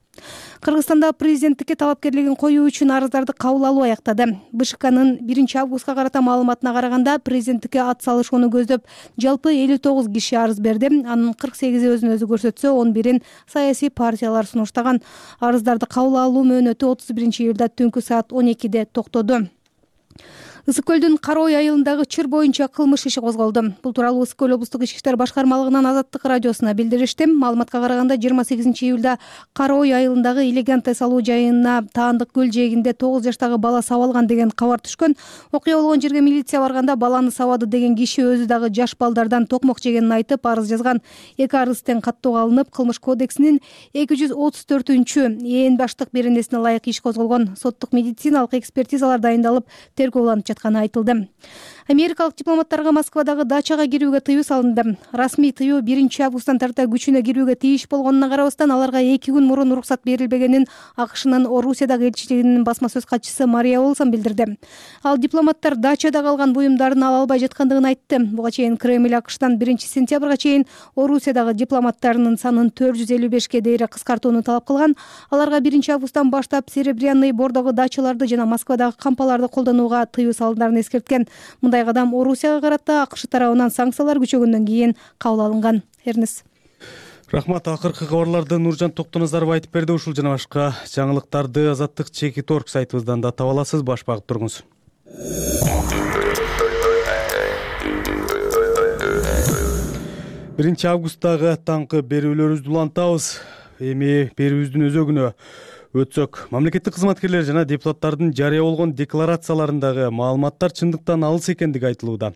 Кыргызстанда президенттикке талапкерлигин коюу үчүн арыздарды кабыл алуу аяктады. БШКнын 1 августка карата маалыматына караганда, президенттикке ат салышууну көздөп жалпы 59 киши арыз берди. Анын 48-и өзүн өзү көрсөтсө, 11-ин саясий партиялар сунуштаган. Арыздарды кабыл алуу мөөнөтү 31 июлда түнкү саат 12-де токтоду. Ысык көлдүн Кара Ой айылындагы чыр боюнча кылмыш иши козголду. Бул тууралуу Ысык көл облустук ички иштер башкармалыгынан Азаттык радиосуна билдиришти. Маалыматка караганда 28 июлда Кара Ой айылындагы элеганттай салуу жайына Таандык көл жээгинде 9 жаштагы бала сабалган деген кабар түшкөн. Окуя болгон жерге милиция барганда баланы сабады деген киши өзү дагы жаш балдардан токмок жегенин айтып арыз жазган. 2 арыз тең каттоого алынып, Кылмыш кодексинин 234-чү ээн баштык беренесине ылайык иш козголгон. Соттук медициналык экспертизалар дайындалып, тергөө уланып жатканы айтылды. Америкалык дипломаттарга Москвадагы дачага кирүүгө тыюу салынды. Расмий тыюу 1 августтан тарта күчүнө кирүүгө тийиш болгонуна карабастан, аларга 2 күн мурун уруксат берилбегенин АКШнын Орусиядагы элчилигинин басма сөз катчысы Мария Олсон билдирди. Ал дипломаттар дачада калган буюмдарын ала албай жаткандыгын айтты. Буга чейин Кремль АКШтан 1 сентябрга чейин Орусиядагы дипломаттарынын санын 455-ке дейре кыскартууну талап кылган. Аларга 1 августтан баштап Серебряный Бордогу дачаларды жана Москвадагы кампаларды колдонууга тыюу салындарын эскерткен. Мындай кадам Орусияга карата АКШ тарабынан санкциялар күчөгөндөн кийин кабыл алынган. Эрнис. Рахмат. Акыркы кабарларды Нуржан Токтоназаров айтып берди. Ушул жана башка жаңылыктарды Азаттык Чекит.орг сайтыбыздан да таба аласыз. Баш багып туруңуз. 1 августтагы таңкы берүүлөрүбүздү улантабыз. Эми берүүбүздүн өзөгүнө өтсөк, мамлекеттик кызматкерлер жана депутаттардын жарыя болгон декларацияларындагы маалыматтар чындыктан алыс экендиги айтылууда.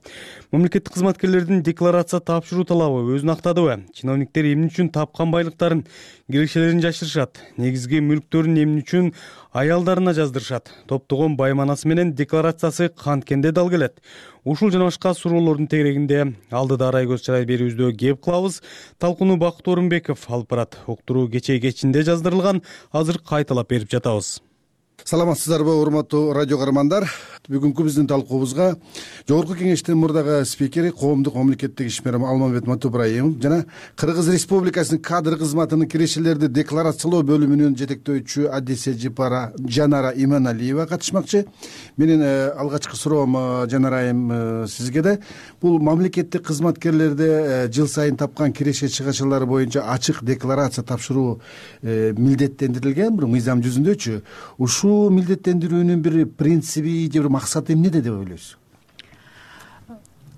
Мамлекеттик кызматкерлердин декларация тапшыруу талабы өзүн актадыбы? Чиновниктер эмне үчүн тапкан байлыктарын, кирешелерин жашырышат? Негизги мүлктөрүн эмне үчүн аялдарына жаздырышат. Топтогон байманасы менен декларациясы канткенде дал келет. Ушул жана башка суроолордун тегерегинде алдыда арай көз чарай берүүбүздө кеп кылабыз. Талкууну Бакыт Орунбеков алып барат. Уктуруу кечинде жаздырылган, азыр кайталап берип жатабыз. Саламатсыздарбы, урматтуу радио каармандар. Бүгүнкү биздин талкуубузга Жогорку Кеңештин мурдагы спикери, коомдук мамлекеттик ишмерим Алмамбет Матубраимов жана Кыргыз Республикасынын кадр кызматынын кирешелерди декларациялоо бөлүмүнүн жетектөөчүсү Адисе Жанара Иманалиева катышмакчы. Менин алгачкы суроом Жанара айым сизге да. Бул мамлекеттик кызматкерлерде жыл сайын тапкан киреше чыгачалары боюнча ачык декларация тапшыруу милдеттендирилген бир мыйзам жүзүндөчү. Ушул милдеттендирүүнүн бир принциби же бир максаты эмнеде деп ойлойсуз?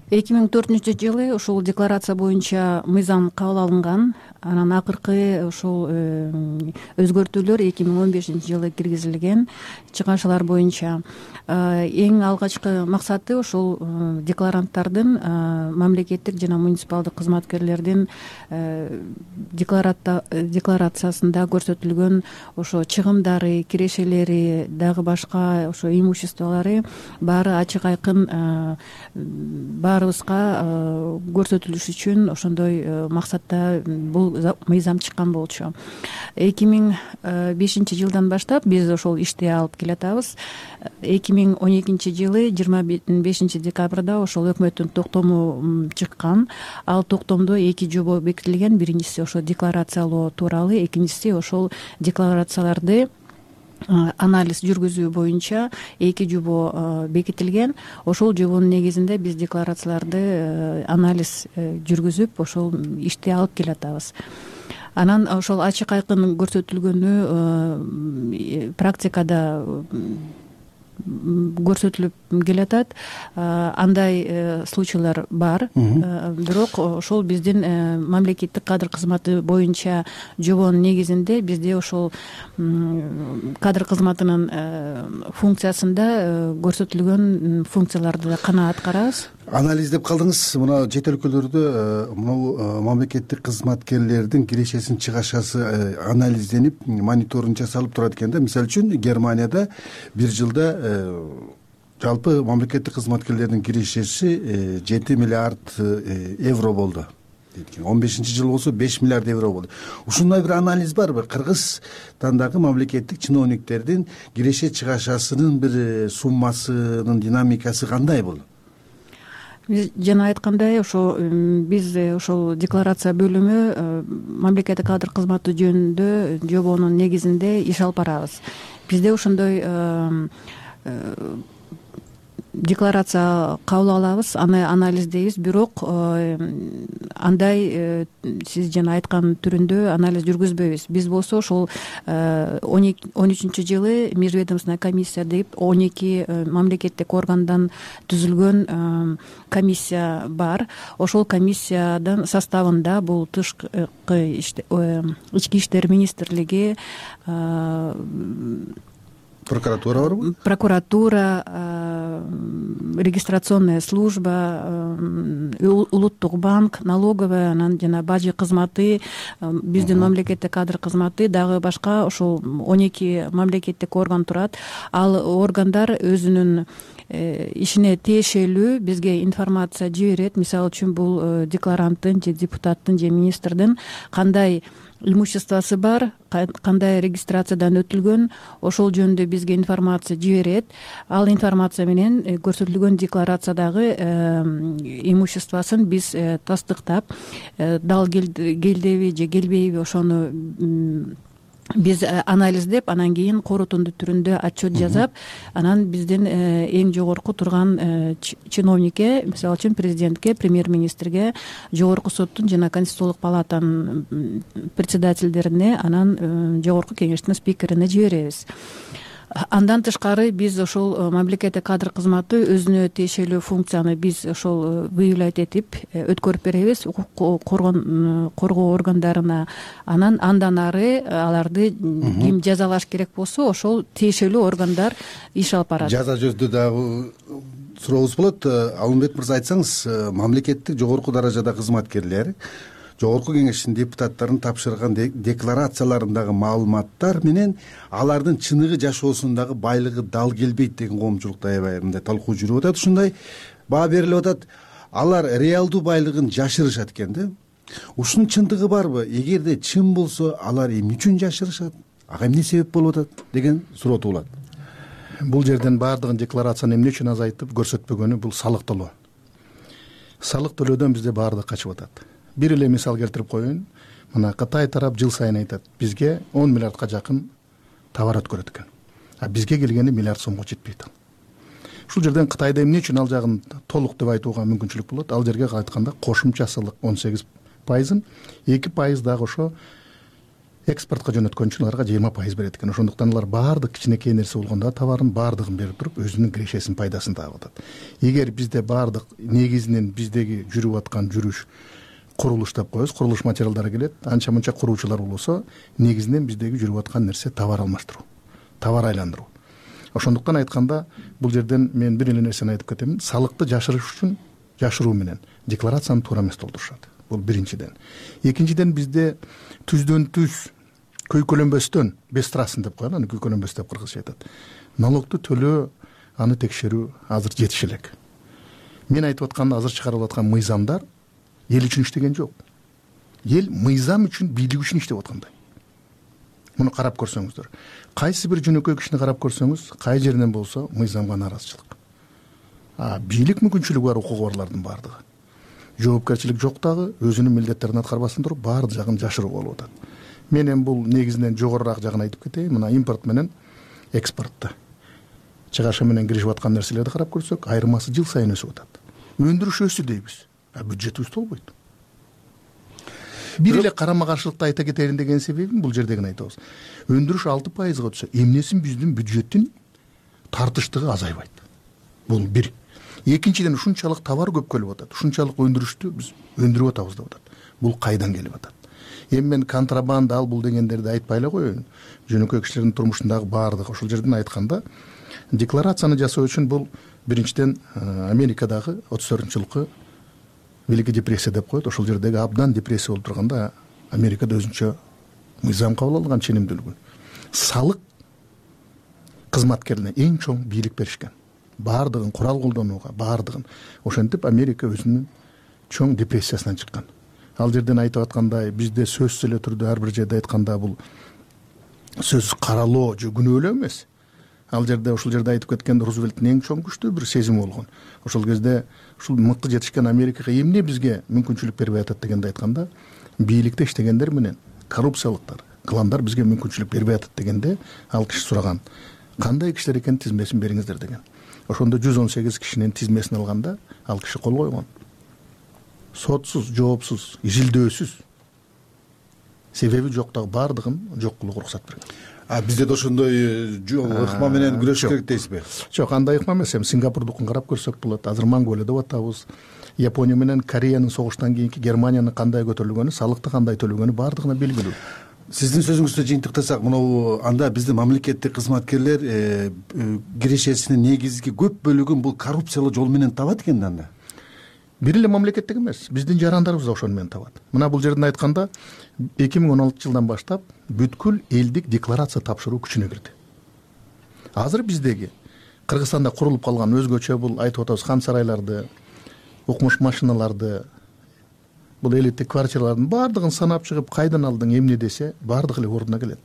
2004-жылы ушул декларация боюнча мыйзам кабыл алынган. Анан акыркы ушул өзгөртүүлөр 2015-жылы киргизилген чыгашалар боюнча. Эң алгачкы максаты ушул декларанттардын, мамлекеттик жана муниципалдык кызматкерлердин декларациясында көрсөтүлгөн ошо чыгымдары, кирешелери, дагы башка ошо имуществолору баары ачык айкын баарыбызга көрсөтүлүш үчүн ошондой максатта бул мыйзам чыккан болчу. 2005-жылдан баштап биз ошол ишти алып келатабыз. 2012-жылы 25 декабрда ошол өкмөттүн токтому чыккан. Ал токтомдо 2 жобо бекитилген. Биринчиси ошо декларациялоо тууралуу, экинчиси ошол декларацияларды анализ жүргүзүү боюнча 2 жобо бекитилген. Ошол жобонун негизинде биз декларацияларды анализ жүргүзүп, ошол ишти алып келатабыз. Анан ошол ачык айкын көрсөтүлгөнү практикада көрсөтүлүп келатат. Андай случайлар бар. Бирок ошол биздин мамлекеттик кадр кызматы боюнча жобонун негизинде бизде ошол кадр кызматынын функциясында көрсөтүлгөн функцияларды да кана аткарабыз. Анализ деп калдыңыз. Мына чет өлкөлөрдө мамлекеттик кызматкерлердин кирешесин чыгашасы анализденип, мониторинг жасалып турат экен да. Мисалы үчүн Германияда бир жылда жалпы мамлекеттик кызматкерлердин кирешеси 7 миллиард евро болду. 15-жыл болсо 5 миллиард евро болду. Ушундай бир анализ барбы? Кыргызстандагы мамлекеттик чиновниктердин киреше чыгашасынын бир суммасынын динамикасы кандай болду? Жана айткандай, ошо биз ошол декларация бөлүмү мамлекеттик кадр кызматы жөнүндө жобонун негизинде иш алып барабыз. Бизде ошондой декларация кабыл алабыз, аны анализдейбиз, бирок андай сиз жана айткан түрүндө анализ жүргүзбөйбүз. Биз болсо ошол 13-жылы межведомственная комиссия деп 12 мамлекеттик органдан түзүлгөн комиссия бар. Ошол комиссиянын составында бул ички иштер министрлиги, прокуратура барбы? Прокуратура, регистрационная служба, улуттук банк, налоговая, анан жана бажы кызматы, биздин мамлекеттик кадр кызматы, дагы башка ошол 12 мамлекеттик орган турат. Ал органдар өзүнүн ишине тиешелүү бизге информация жиберет. Мисалы үчүн бул декларанттын же депутаттын же министрдин кандай имуществосы бар, кандай регистрациядан өтүлгөн, ошол жөнүндө бизге информация жиберет. Ал информация менен көрсөтүлгөн декларациядагы имуществосын биз тастыктап, дал келдеби же келбейби ошону биз анализдеп, анан кийин корутунду түрүндө отчет жасап, анан биздин эң жогорку турган чиновникке, мисалы үчүн президентке, премьер-министрге, жогорку соттун жана конституциялык палатанын председательдерине, анан жогорку кеңештин спикерине жиберебиз. Андан тышкары биз ошол мамлекеттик кадр кызматы өзүнө тиешелүү функцияны биз ошол выявлять этип өткөрүп беребиз коргоо органдарына. Андан ары аларды ким жазалаш керек болсо, ошол тиешелүү органдар иш алып барат. Жаза жөнүндө дагы сурообуз болот. Алмамбет мырза, айтсаңыз, мамлекеттик жогорку даражада кызматкерлер жогорку кеңештин депутаттарын тапшырган декларацияларындагы маалыматтар менен алардын чыныгы жашоосундагы байлыгы дал келбейт деген коомчулукта аябай мындай талкуу жүрүп атат. Ушундай баа берилип атат. Алар реалдуу байлыгын жашырышат экен да. Ушунун чындыгы барбы? Эгерде чын болсо, алар эмне үчүн жашырышат? Ага эмне себеп болуп атат деген суроо туулат. Бул жерден баардыгын декларацияны эмне үчүн азайтып көрсөтпөгөнү бул салык төлөө. Салык төлөөдөн бизде баардык качып атат. Бир эле мисал келтирип коеюн. Мына Кытай тарап жыл сайын айтат, бизге 10 миллиардка жакын товар өткөрөт экен. А бизге келгени миллиард сомго жетпейт. Ушул жерден Кытайда эмне үчүн ал жагын толук деп айтууга мүмкүнчүлүк болот. Ал жерге айтканда кошумча салык 18%, 2% дагы ошо экспортко жөнөткөн үчүн аларга 20% берет экен. Ошондуктан алар баардык кичинекей нерсе болгондо товарын баардыгын берип туруп өзүнүн кирешесин, пайдасын таап атат. Эгер бизде баардык негизинен биздеги жүрүп аткан жүрүш курулуш деп коебуз, курулуш материалдары келет, анча мынча куруучулар болсо, негизинен биздеги жүрүп аткан нерсе товар алмаштыруу, товар айландыруу. Ошондуктан айтканда бул жерден мен бир эле нерсени айтып кетемин. Салыкты жашырыш үчүн жашыруу менен декларацияны туура эмес толтурушат. Бул биринчиден. Экинчиден бизде түздөн түз көйкөлөнбөстөн, бестрасын деп коет, аны көйкөлөнбөс деп кыргызча айтат. Налогду төлөө, аны текшерүү азыр жетиш элек. Мен айтып аткан азыр чыгарылып аткан мыйзамдар эл үчүн иштеген жок. Эл мыйзам үчүн, бийлик үчүн иштеп аткандай. Муну карап көрсөңүздөр. Кайсы бир жөнөкөй кишини карап көрсөңүз, кай жеринен болсо мыйзамга наразычылык. Бийлик мүмкүнчүлүгү бар укугу барлардын баардыгы. Жоопкерчилик жок дагы, өзүнүн милдеттерин аткарбастан туруп баардык жагын жашыруу болуп атат. Мен эми бул негизинен жогорураак жагын айтып кетейин. Мына импорт менен экспортто чыгаша менен киришип аткан нерселерди карап көрсөк, айырмасы жыл сайын өсүп атат. Өндүрүш өссү дейбиз, бюджетибиз толбойт. Бир эле карама каршылыкты айта кетерин деген себебим бул жердегини айтабыз. Өндүрүш 6%га өтсө, эмнесин биздин бюджеттин тартыштыгы азайбайт. Бул бир. Экинчиден, ушунчалык товар көп келип атат, ушунчалык өндүрүштү биз өндүрүп атабыз деп атат. Бул кайдан келип атат? Эми мен контрабанда ал бул дегендерди айтпай эле коеюн. Жөнөкөй кишилердин турмушундагы баардыгы ошол жерден айтканда, декларацияны жасоо үчүн бул биринчиден Америкадагы 34-жылкы Великий депрессия деп коет. Ошол жердеги абдан депрессия болуп турганда Америкада өзүнчө мыйзам кабыл алган, ченемдүүлүгү. Салык кызматкерине эң чоң бийлик беришкен. Баардыгын курал колдонууга, баардыгын. Ошентип Америка өзүнүн чоң депрессиясынан чыккан. Ал жерден айтып аткандай, бизде сөзсүз эле түрдө ар бир жерде айтканда бул сөз каралоо же күнөөлөө эмес. Ал жерде ошол жерде айтып кеткен Рузвельттин эң чоң күчтүү бир сезими болгон. Ошол кезде ушул мыкты жетишкен Америкага эмне бизге мүмкүнчүлүк бербей атат дегенди айтканда, бийликте иштегендер менен коррупциялыктар, кландар бизге мүмкүнчүлүк бербей атат дегенде, ал киши сураган, кандай кишилер экен тизмесин бериңиздер деген. Ошондо 118 кишинин тизмесин алганда, ал киши кол койгон. Сотсуз, жоопсуз, изилдөөсүз, себеби жоктогу баардыгын жок кылууга уруксат берген. Бизде да ошондой ыкма менен күрөшүш керек дейсизби? Жок, андай ыкма эмес. Эми Сингапурдукун карап көрсөк болот. Азыр Монголия деп атабыз. Япония менен Кореянын согуштан кийинки Германиянын кандай көтөрүлгөнү, салыкты кандай төлөгөнү баардыгына белгилүү. Сиздин сөзүңүздү жыйынтыктасак, мына анда биздин мамлекеттик кызматкерлер кирешесинин негизги көп бөлүгүн бул коррупциялык жол менен табат экен да анда. Бир эле мамлекеттик эмес, биздин жарандарыбыз да ошону менен табат. Мына бул жерден айтканда 2016 жылдан баштап бүткүл элдик декларация тапшыруу күчүнө кирди. Азыр биздеги Кыргызстанда курулуп калган өзгөчө бул айтып атабыз хан сарайларды, укмуш машиналарды, бул элиттик квартиралардын баардыгын санап чыгып, кайдан алдың эмне десе, баардыгы эле ордуна келет.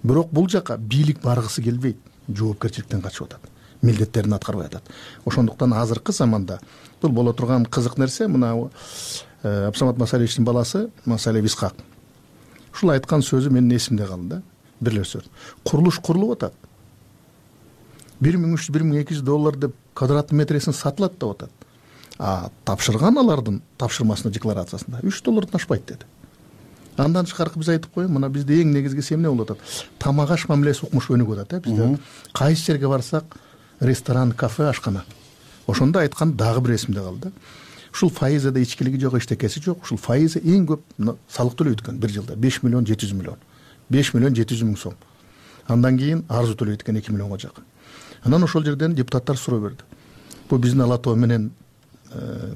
Бирок бул жака бийлик баргысы келбейт, жоопкерчиликтен качып атат, милдеттерин аткарбай атат. Ошондуктан азыркы заманда бул боло турган кызык нерсе, мына Абсамат Масалевичтин баласы Масалев Исхак. Ушул айткан сөзү менин эсимде калды да. Бир эле сөз. Курулуш курулуп атат. 1300-1200 доллар деп квадратный метресин сатылат деп атат. Тапшырган алардын тапшырмасына декларациясында 3 доллардан ашпайт деди. Андан тышкаркы биз айтып коеюн, мына бизде эң негизгиси эмне болуп атат? Тамак аш мамилеси укмуш өнүгүп атат, бизде. Кайсы жерге барсак, ресторан, кафе, ашкана. Ошондо айткан дагы бир эсимде калды. Ушул фаизада ичкилиги жок, эчтекеси жок. Ушул фаиза эң көп салык төлөйт экен бир жылда 5 миллион 700 миллион. 5 миллион 700 миң сом. Андан кийин арзу төлөйт экен 2 миллионго жакын. Анан ошол жерден депутаттар суроо берди. Бул биздин Ала Тоо менен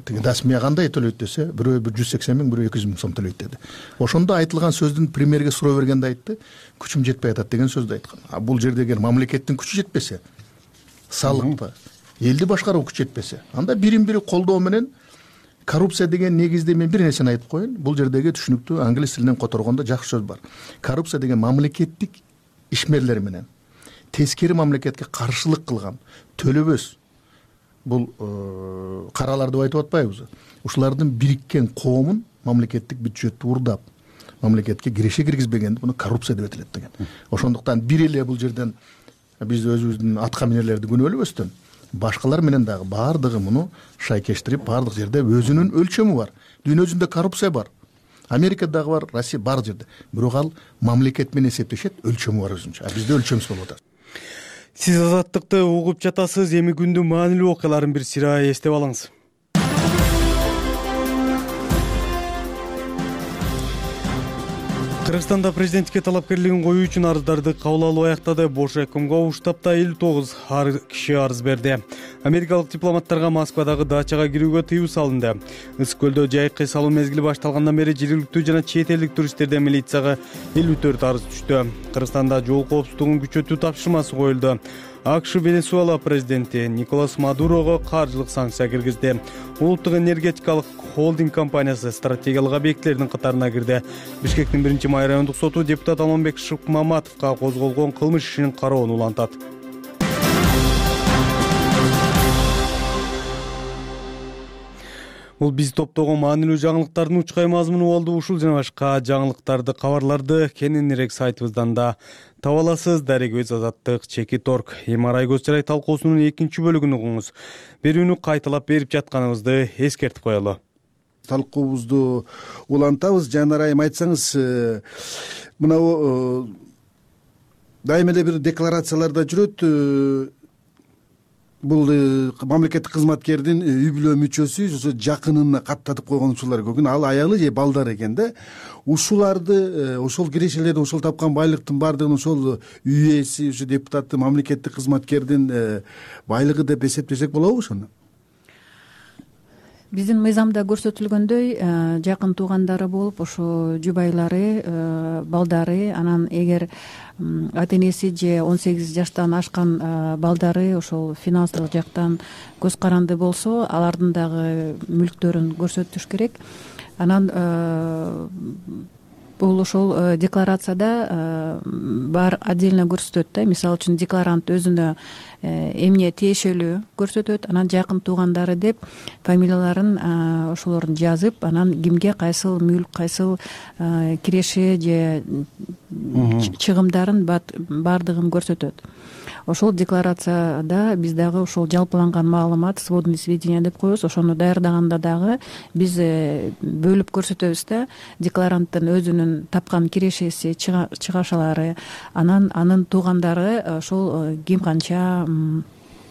тиги дасмия кандай төлөйт десе, бирөө 180 миң, бирөө 200 миң сом төлөйт деди. Ошондо айтылган сөздүн премьерге суроо бергенде айтты, күчүм жетпей атат деген сөздү айткан. А бул жерде эгер мамлекеттин күчү жетпесе, салыкпы, элди башкаруу күчү жетпесе, анда бирин-бири колдоо менен коррупция деген негизде мен бир нерсени айтып коеюн. Бул жердеги түшүнүктүү англис тилинен которгондо жакшы сөз бар. Коррупция деген мамлекеттик ишмерлер менен тескери мамлекетке каршылык кылган төлөбөс бул каралар деп айтып атпайбызбы? Ушулардын бириккен коомун мамлекеттик бюджетти урдап, мамлекетке киреше киргизбегенди буну коррупция деп этилет деген. Ошондуктан бир эле бул жерден биз өзүбүздүн аткаминерлерди күнөөлөбөстөн, башкалар менен дагы баардыгы муну шайкештирип, баардык жерде өзүнүн өлчөмү бар. Дүйнө жүзүндө коррупция бар. Америкадагы бар, Россия бар жерде. Бирок ал мамлекет менен эсептешет, өлчөмү бар өзүнчө. А бизде өлчөмсүз болуп атат. Сиз Азаттыкты угуп жатасыз. Эми күндүн маанилүү окуяларын бир сыйра эстеп алыңыз. Кыргызстанда президенттикке талапкерлигин коюу үчүн арыздарды кабыл алуу аяктады. Бош ЭКМга уш таапта 59 киши арыз берди. Америкалык дипломаттарга Москвадагы дачага кирүүгө тыюу салынды. Ысык көлдө жайык эс алуу мезгили башталгандан бери жергиликтүү жана чет элдик туристтерден милицияга 54 арыз түштү. Кыргызстанда жол коопсуздугун күчөтүү тапшырмасы коюлду. АКШ Венесуэла президенти Николас Мадурого каржылык санкция киргизди. Улуттук энергетикалык холдинг компаниясы стратегиялык объектилердин катарына кирди. Бишкектин 1-май райондук соту депутат Алмамбек Шыкмаматовго козголгон кылмыш ишин кароонун улантат. Бул биз топтогон маанилүү жаңылыктардын учкай мазмуну болду. Ушул жана башка жаңылыктарды, кабарларды кененирээк сайтыбыздан да таба аласыз. Дарек-өз Азаттык Чекит.орг. Эмарай көз жарай талкуусунун 2 бөлүгүн угуңуз. Берүүнү кайталап берип жатканыбызды эскертип коелу. Талкуубузду улантабыз. Жанар айым, айтсаңыз, мына дайыма эле бир декларацияларда жүрөт. Бул мамлекеттик кызматкердин үй бүлө мүчөсү, ошо жакынына каттатып койгон учурлар көп. Ал аялы же балдар экен да. Ушуларды, ошол кирешелерди, ошол тапкан байлыктын баардыгын ошол үй ээси, ошо депутатты, мамлекеттик кызматкердин байлыгы деп эсептесек болобу ошону? Биздин мыйзамда көрсөтүлгөндөй, жакын туугандары болуп, ошо жубайлары, балдары, анан эгер ата энеси же 18 жаштан ашкан балдары ошол финансылык жактан көз каранды болсо, алардын дагы мүлктөрүн көрсөтүш керек. Анан бул ошол декларацияда бар отдельно көрсөтөт да. Мисалы үчүн декларант өзүнө эмне тиешелүү көрсөтөт, анан жакын туугандары деп фамилияларын ошолордун жазып, анан кимге кайсыл мүлк, кайсыл киреше же чыгымдарын баардыгын көрсөтөт. Ошол декларацияда биз дагы ошол жалпыланган маалымат, сводный сведения деп коебуз. Ошону даярдаганда дагы биз бөлүп көрсөтөбүз да. Декларанттын өзүнүн тапкан кирешеси, чыгашалары, анан анын туугандары ошол ким канча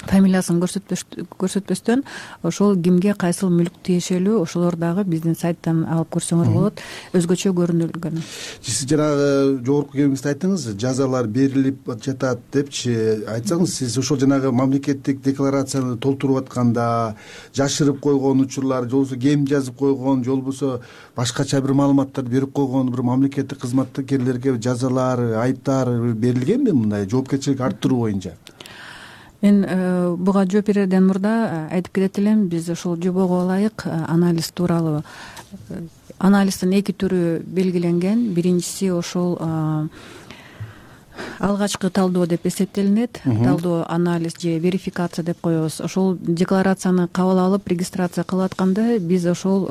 фамилиясын көрсөтпөстөн ошол кимге кайсыл мүлк тиешелүү, ошолор дагы биздин сайттан алып көрсөңөр болот. Өзгөчө көрүнүлгөн. Сиз жанагы жогорку кеңеште айттыңыз, жазалар берилип жатат депчи. Айтсаңыз, сиз ошол жанагы мамлекеттик декларацияны толтуруп атканда жашырып койгон учурлар, же болбосо кем жазып койгон, же болбосо башкача бир маалыматтарды берип койгон бир мамлекеттик кызматкерлерге жазалар, айыптар берилгенби мындай жоопкерчилик арттыруу боюнча? Мен буга жооп берерден мурда айтып кетет элем, биз ошол жобого ылайык анализ тууралуу, анализдин 2 түрү белгиленген. Биринчиси ошол алгачкы талдоо деп эсептелинет. Талдоо, анализ же верификация деп коебуз. Ошол декларацияны кабыл алып регистрация кылып атканда биз ошол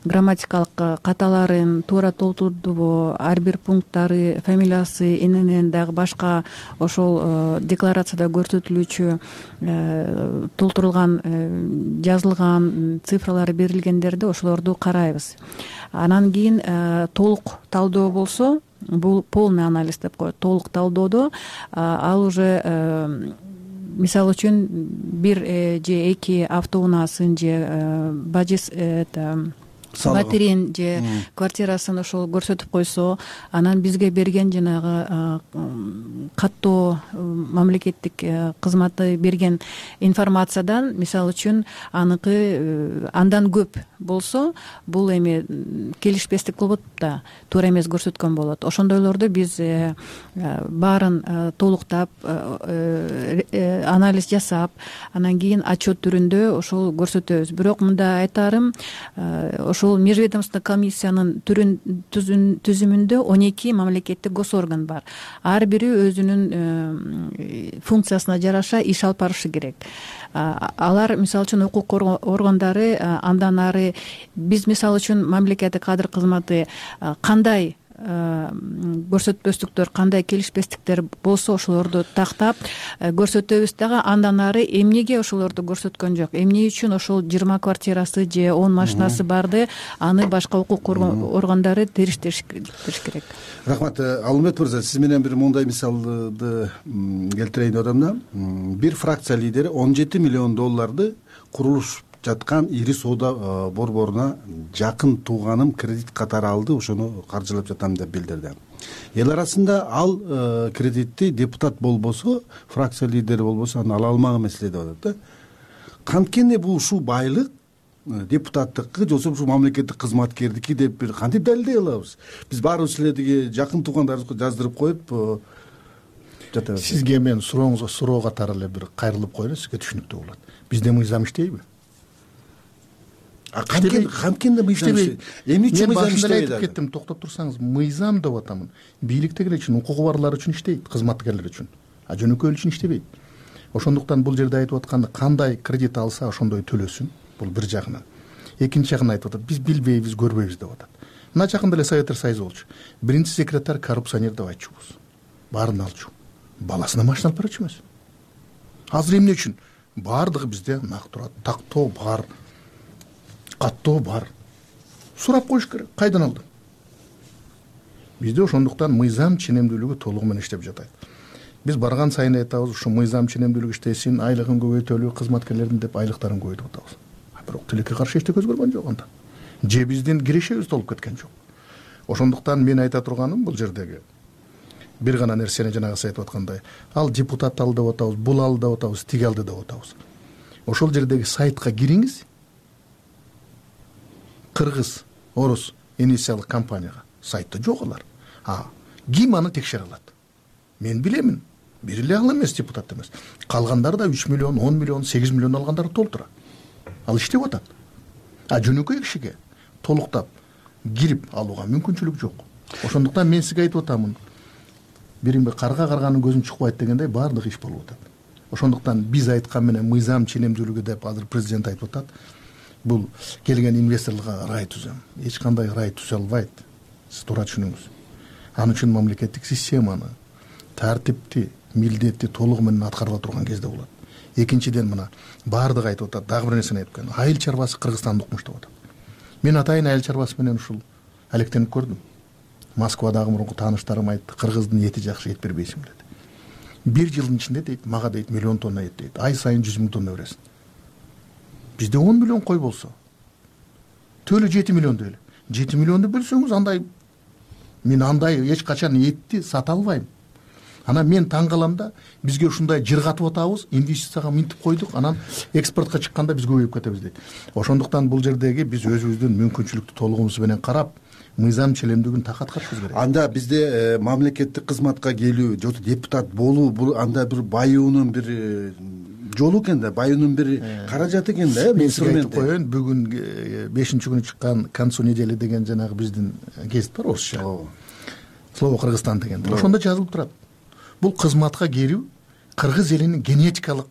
грамматикалык каталарын туура толтурдубу, ар бир пункттары, фамилиясы, эненен дагы башка ошол декларацияда көрсөтүлүүчү толтурулган, жазылган цифралары берилгендерди ошолорду карайбыз. Анан кийин толук талдоо болсо, бул полный анализ деп коет. Толук талдоодо ал уже мисалы үчүн 1 же 2 автоунаасын же бажы батирин же квартирасын ошол көрсөтүп койсо, анан бизге берген жанагы каттоо мамлекеттик кызматы берген информациядан, мисалы үчүн аныкы андан көп болсо, бул эми келишпестик болот да, туура эмес көрсөткөн болот. Ошондойлорду биз баарын толуктап, анализ жасап, анан кийин отчет түрүндө ошол көрсөтөбүз. Бирок мында айтарым, ошол межведомственный комиссиянын түзүмүндө 12 мамлекеттик госорган бар. Ар бири өзүнүн функциясына жараша иш алып барышы керек. Алар, мисалы үчүн, укук органдары андан ары, биз мисалы үчүн мамлекеттик кадр кызматы кандай көрсөтпөстүктөр, кандай келишпестиктер болсо ошолорду тактап көрсөтөбүз дагы. Андан ары эмнеге ошолорду көрсөткөн жок, эмне үчүн ошол 20 квартирасы же 10 машинасы барды, аны башка укук органдары териштириш керек. Рахмат. Алмет мырза, сиз менен бир мындай мисалды келтирейин деп атам да. Бир фракция лидери 17 миллион долларды курулуш жаткан ири соода борборуна жакын тууганым кредит катары алды, ошону каржылап жатам деп билдирди. Эл арасында ал кредитти депутат болбосо, фракция лидери болбосо аны ала алмаган маселе деп атат да. Канткени бул ушул байлык депутаттыкы же болбосо мамлекеттик кызматкердики деп бир кантип далилдей алабыз? Биз баарыбыз силердиги жакын туугандарыбызга жаздырып коюп жатабыз. Сизге мен сурооңузга суроо катары эле бир кайрылып коелу, сизге түшүнүктүү болот. Бизде мыйзам иштейби? Канткенде мыйзам иштейт. Эмне үчүн мыйзам иштебейт? Айтып кеттим, токтоп турсаңыз, мыйзам деп атамын. Бийликтегилер үчүн, укугу барлар үчүн иштейт, кызматкерлер үчүн. Жөнөкөй эл үчүн иштебейт. Ошондуктан бул жерде айтып атканда, кандай кредит алса ошондой төлөсүн. Бул бир жагынан. Экинчи жагынан айтып атат, биз билбейбиз, көрбөйбүз деп атат. Мына жакында эле Советтер Союзу болчу. Биринчи секретарь коррупционер деп айтчубуз. Баарын алчу. Баласына машина алып барчу эмес. Азыр эмне үчүн? Баардыгы бизде нак турат. Тактоо бар. Каттоо бар. Сурап коюш керек. Кайдан алдың? Бизде ошондуктан мыйзам ченемдүүлүгү толугу менен иштеп жатат. Биз барган сайын айтабыз, ушу мыйзам ченемдүүлүгү иштесин, айлыгын көбөйтөлү, кызматкерлердин деп айлыктарын көбөйтүп атабыз. Бирок тилекке каршы эчтеке өзгөргөн жок анда. Же биздин кирешебиз толуп кеткен жок. Ошондуктан мен айта турганым бул жердеги бир гана нерсени жанагы сиз айтып аткандай, ал депутат алды деп атабыз, бул алды деп атабыз, тиги алды деп атабыз. Ошол жердеги сайтка кириңиз. Кыргыз, орус инициалдык компанияга сайтта жок алар. Ким аны текшере алат? Мен билемин. Бир эле ал эмес, депутат эмес. Калгандары да 3 миллион, 10 миллион, 8 миллион алгандары толтура. Ал иштеп атат. Жөнөкөй кишиге толуктап кирип алууга мүмкүнчүлүк жок. Ошондуктан мен сизге айтып атамын. Биринби карга карганын көзүн чукпайт дегендей баардык иш болуп атат. Ошондуктан биз айткан менен мыйзам ченемдүүлүгү деп азыр президент айтып атат. Бул келген инвесторлорго рай түзөм. Эч кандай рай түзө албайт. Сиз туура түшүнүңүз. Ал үчүн мамлекеттик системаны, тартипти, милдетти толугу менен аткарыла турган кезде болот. Экинчиден мына баардыгы айтып атат, дагы бир нерсени айтып кеткен. Айыл чарбасы Кыргызстанды укмуш деп атат. Мен атайын айыл чарбасы менен ушул алектенип көрдүм. Москвадагы мурунку тааныштарым айтты, кыргыздын эти жакшы, эт бербейсиң деди. Бир жылдын ичинде дейт, мага дейт, миллион тонна эт дейт. Ай сайын 100 000 тонна бересиң. Бизде 10 миллион кой болсо, төлө 7 миллион дейли. 7 миллионду бөлсөңүз андай, мен андай эч качан этти сата албайм. Анан мен таң калам да, бизге ушундай жыргатып атабыз, инвестицияга минтип койдук, анан экспортко чыкканда биз көбөйүп кетебиз дейт. Ошондуктан бул жердеги биз өзүбүздүн мүмкүнчүлүктү толугубуз менен карап, мыйзам ченемдүүлүгүн такаткарышыбыз керек. Анда бизде мамлекеттик кызматка келүү, же депутат болуу, бул анда бир баюунун бир жолу экен да, баюунун бир каражаты экен да, инструмент. Мен коеюн, бүгүн 5-күнү чыккан к концу недели деген жанагы биздин гезит бар, орусча. Слово Кыргызстан деген. Ошондо жазылып турат. Бул кызматка кирүү кыргыз элинин генетикалык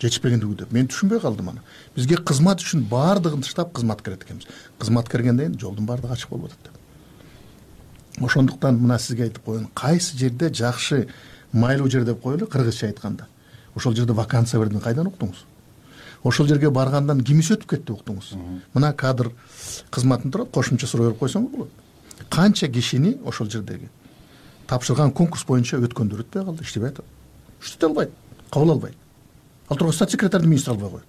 жетишпегендиги деп. Мен түшүнбөй калдым аны. Бизге кызмат үчүн баардыгын тыштап кызмат керет экенбиз. Кызмат кергенден жолдун баардыгы ачык болуп атат деп. Ошондуктан мына сизге айтып коеюн, кайсы жерде жакшы майлуу жер деп коелу, кыргызча айтканда. Ошол жерде вакансия бердиң, кайдан уктуңуз? Ошол жерге баргандан кимиси өтүп кетти уктуңуз? Мына кадр кызматын турат, кошумча суроо берип койсоңуз болот. Канча кишини ошол жердеги тапшырган конкурс боюнча өткөндөр өтпөй калды, иштебей атат. Иштете албайт, кабыл албайт. Ал турган статс секретарды министр албай коет.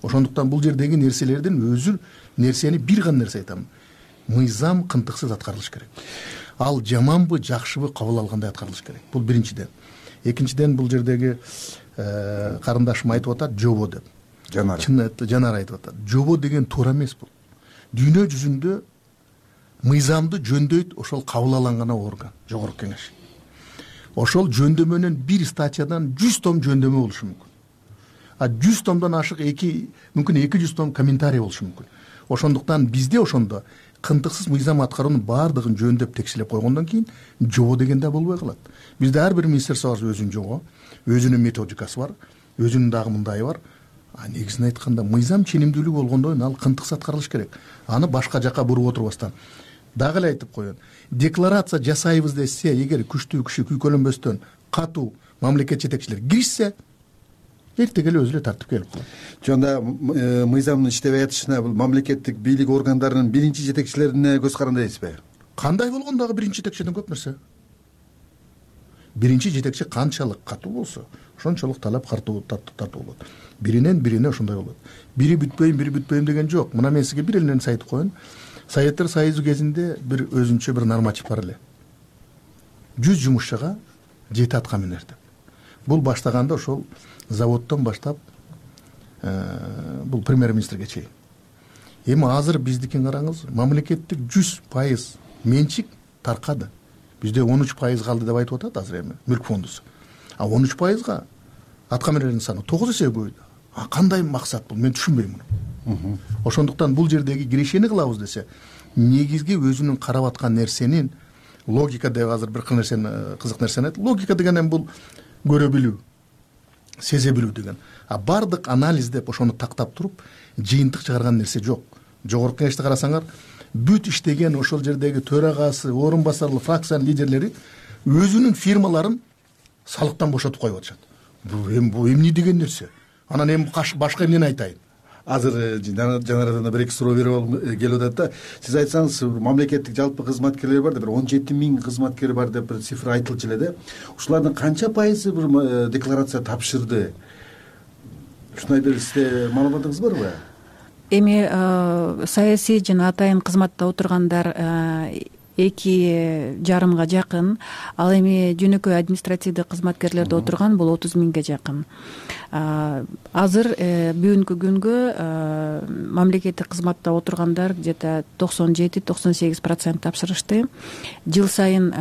ошондуктан бул жердеги нерселердин өзү нерсени бир гана нерсе айтам: мыйзам кынтыксыз аткарылыш керек. Ал жаманбы жакшыбы кабыл алгандай аткарылыш керек. Бул биринчиден. Экинчиден, бул жердеги карындашым айтып атат жобо деп. Жанар айтып атат. Жобо деген туура эмес бул. Дүйнө жүзүндө мыйзамды жөндөйт ошол кабыл алынган орган, жогорку кеңеш. Ошол жөндөмөнүн бир статьядан 100 том жөндөмө болушу мүмкүн. 100 томдон ашык мүмкүн 200 том комментарий болушу мүмкүн. Ошондуктан бизде ошондо кынтыксыз мыйзам аткаруунун баардыгын жөндөп текшелеп койгондон кийин жобо деген да болбой калат. Бизде ар бир министерство бар өзүнүн жобо, өзүнүн методикасы бар, өзүнүн дагы мындайы бар. Негизин айтканда мыйзам ченемдүүлүк болгондон кийин ал кынтыксыз аткарылыш керек. Аны башка жака буруп отурбастан. Дагы эле айтып коеюн. Декларация жасайбыз десе, эгер күчтүү киши күйкөлөнбөстөн катуу мамлекет жетекчилери киришсе, эртең эле өзү эле тартип келип калат. Жонда мыйзамдын иштебей атышына бул мамлекеттик бийлик органдарынын биринчи жетекчилерине көз каранды дейсизби? Кандай болгондо дагы биринчи жетекчиден көп нерсе. Биринчи жетекчи канчалык катуу болсо, ошончолук талап тартуу болот. Биринен бирине ошондой болот. Бири бүтпөйм деген жок. Мына мен сизге бир эле нерсе айтып коеюн. Советтер Союзу кезинде бир өзүнчө бир норматив бар эле. 100 жумушчуга 7 атка минер деп. Бул баштаганда ошол заводдон баштап бул премьер-министрге чейин. Эми азыр биздикин караңыз, мамлекеттик 100% менчик таркады. Бизде 13% калды деп айтып атат азыр эми мүлк фондусу. 13%га атка минерлердин саны 9 эсе көбөйдү. Кандай максат бул? Мен түшүнбөйм муну. Ошондуктан бул жердеги кирешени кылабыз десе, негизги өзүнүн карап аткан нерсенин логика деп азыр бир кызык нерсени айтты. Логика деген бул көрө билүү, сезе билүү деген. Бардык анализ деп ошону тактап туруп, жыйынтык чыгарган нерсе жок. Жогорку кеңешти карасаңар, бүт иштеген ошол жердеги төрагасы, орун басарлы фракциянын лидерлери өзүнүн фирмаларын салыктан бошотуп коюп атышат. Бул эмне деген нерсе? Анан эми башка эмнени айтайын? Азыр жанарадан да бир-эки суроо берип келип атат да. Сиз айтсаңыз, мамлекеттик жалпы кызматкерлер бар деп, бир 17 000 кызматкер бар деп бир цифра айтылчу эле да. Ушулардын канча пайызы бир декларация тапшырды? Ушундайда сизде маалыматыңыз барбы? Эми саясий жана атайын кызматта отургандар 2,5 жакын, ал эми жөнөкөй административдик кызматкерлерде отурган бул 30 000ге жакын. Азыр бүгүнкү күнгө мамлекеттик кызматта отургандар где-то 97-98% тапшырышты. Жыл сайын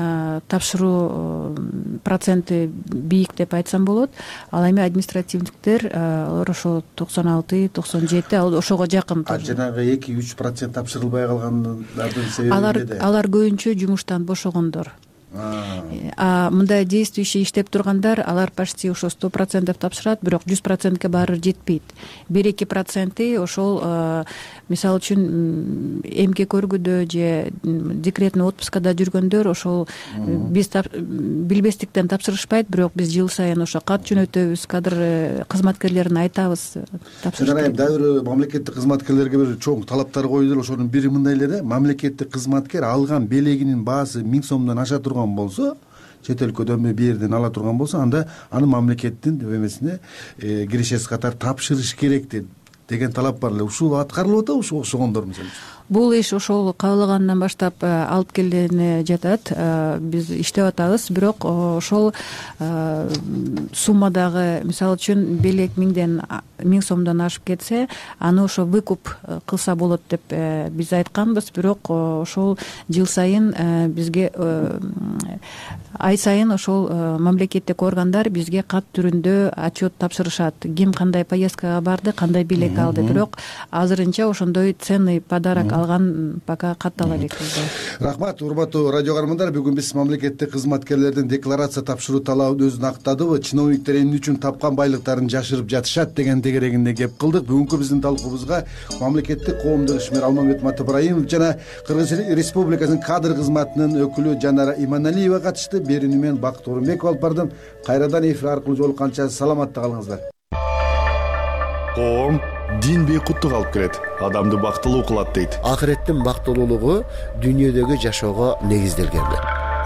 тапшыруу проценти бийик деп айтсам болот. Ал эми административдиктер алар ошо 96-97, ал ошого жакын. Жанагы 2-3% тапшырылбай калгандардын себеби эмнеде? Алар көбүнчө жумуштан бошогондор. Мындай действующий иштеп тургандар, алар почти ошо 100% тапшырат, бирок 100%ке баары жетпейт. 1-2% ошол мисалы үчүн эмгек көргүдө же декретный отпускада жүргөндөр ошол биз билбестиктен тапшырышпайт, бирок биз жыл сайын ошо кат жөнөтөбүз, кадр кызматкерлерине айтабыз тапшырышты. Дагы бир мамлекеттик кызматкерлерге бир чоң талаптар коюлду. Ошонун бири мындай эле да, мамлекеттик кызматкер алган белегинин баасы 1000 сомдон аша турган болсо, чет өлкөдөн бир жерден ала турган болсо, анда аны мамлекеттин эмесине кирешеси катары тапшырыш керек деген талап бар эле. Ушул аткарылып атабы ошогондор мисалы? Бул иш ошол кабылгандан баштап алып келгенине жатат. Биз иштеп атабыз, бирок ошол суммадагы мисалы үчүн белек 1000 сомдон ашып кетсе, аны ошо выкуп кылса болот деп биз айтканбыз, бирок ошол жыл сайын бизге ай сайын ошол мамлекеттик органдар бизге кат түрүндө отчет тапшырышат. Ким кандай поездкага барды, кандай белек алды, бирок азырынча ошондой ценный подарок алган пока каттала элек. Рахмат, урматтуу радио каармандар. Бүгүн биз мамлекеттик кызматкерлердин декларация тапшыруу талабын өзүн актадыбы, чиновниктер эмне үчүн тапкан байлыктарын жашырып жатышат деген тегерегинде кеп кылдык. Бүгүнкү биздин талкуубузга мамлекеттик коомдук ишмер Алмамбет Ибраимов жана Кыргыз Республикасынын кадр кызматынын өкүлү Жанара Иманалиева катышты. Берүүнү мен Бакыт Орунбеков алып бардым. Кайрадан эфир аркылуу жолукканча саламатта калыңыздар. Коом дин бейкуттук алып келет, адамды бактылуу кылат дейт. Акыреттин бактылуулугу дүйнөдөгү жашоого негизделген.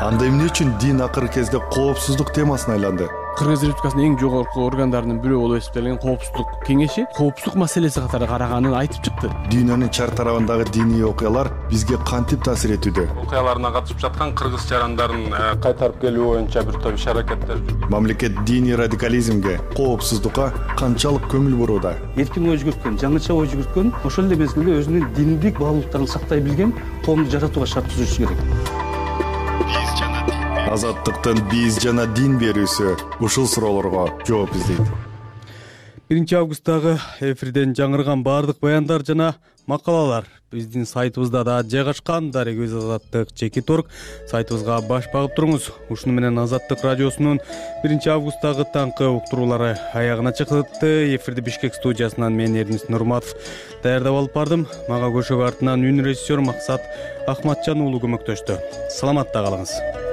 Анда эмне үчүн дин акыркы кезде коопсуздук темасына айланды? Кыргыз Республикасынын эң жогорку органдарынын бирөө болуп эсептелген Коопсуздук кеңеши коопсуздук маселеси катары караганын айтып чыкты. Дүйнөнүн чар тарабындагы диний окуялар бизге кантип таасир этүүдө? Окуяларына катышып жаткан кыргыз жарандарын кайтарып келүү боюнча бир топ иш-аракеттер. Мамлекет диний радикализмге, коопсуздукка канчалык көңүл бурууда? Эркин ой жүгүрткөн, жаңыча ой жүгүрткөн, ошол эле мезгилде өзүнүн диндик баалуулуктарын сактай билген коомду жаратууга шарт түзүшү керек. Азаттыктын биз жана дин берүүсү ушул суроолорго жооп издейт. 1 августтагы эфирден жаңырган баардык баяндар жана макалалар биздин сайтыбызда да жайгашкан. Дарек өз азаттык чекит орг сайтыбызга баш багып туруңуз. Ушуну менен Азаттык радиосунун 1 августтагы таңкы уктуруулары аягына чыкты. Эфирди Бишкек студиясынан мен Эрдинис Нурматов даярдап алып бардым. Мага көшөгө артынан үн режиссер Максат Ахматжан уулу көмөктөштү. Саламатта калыңыз.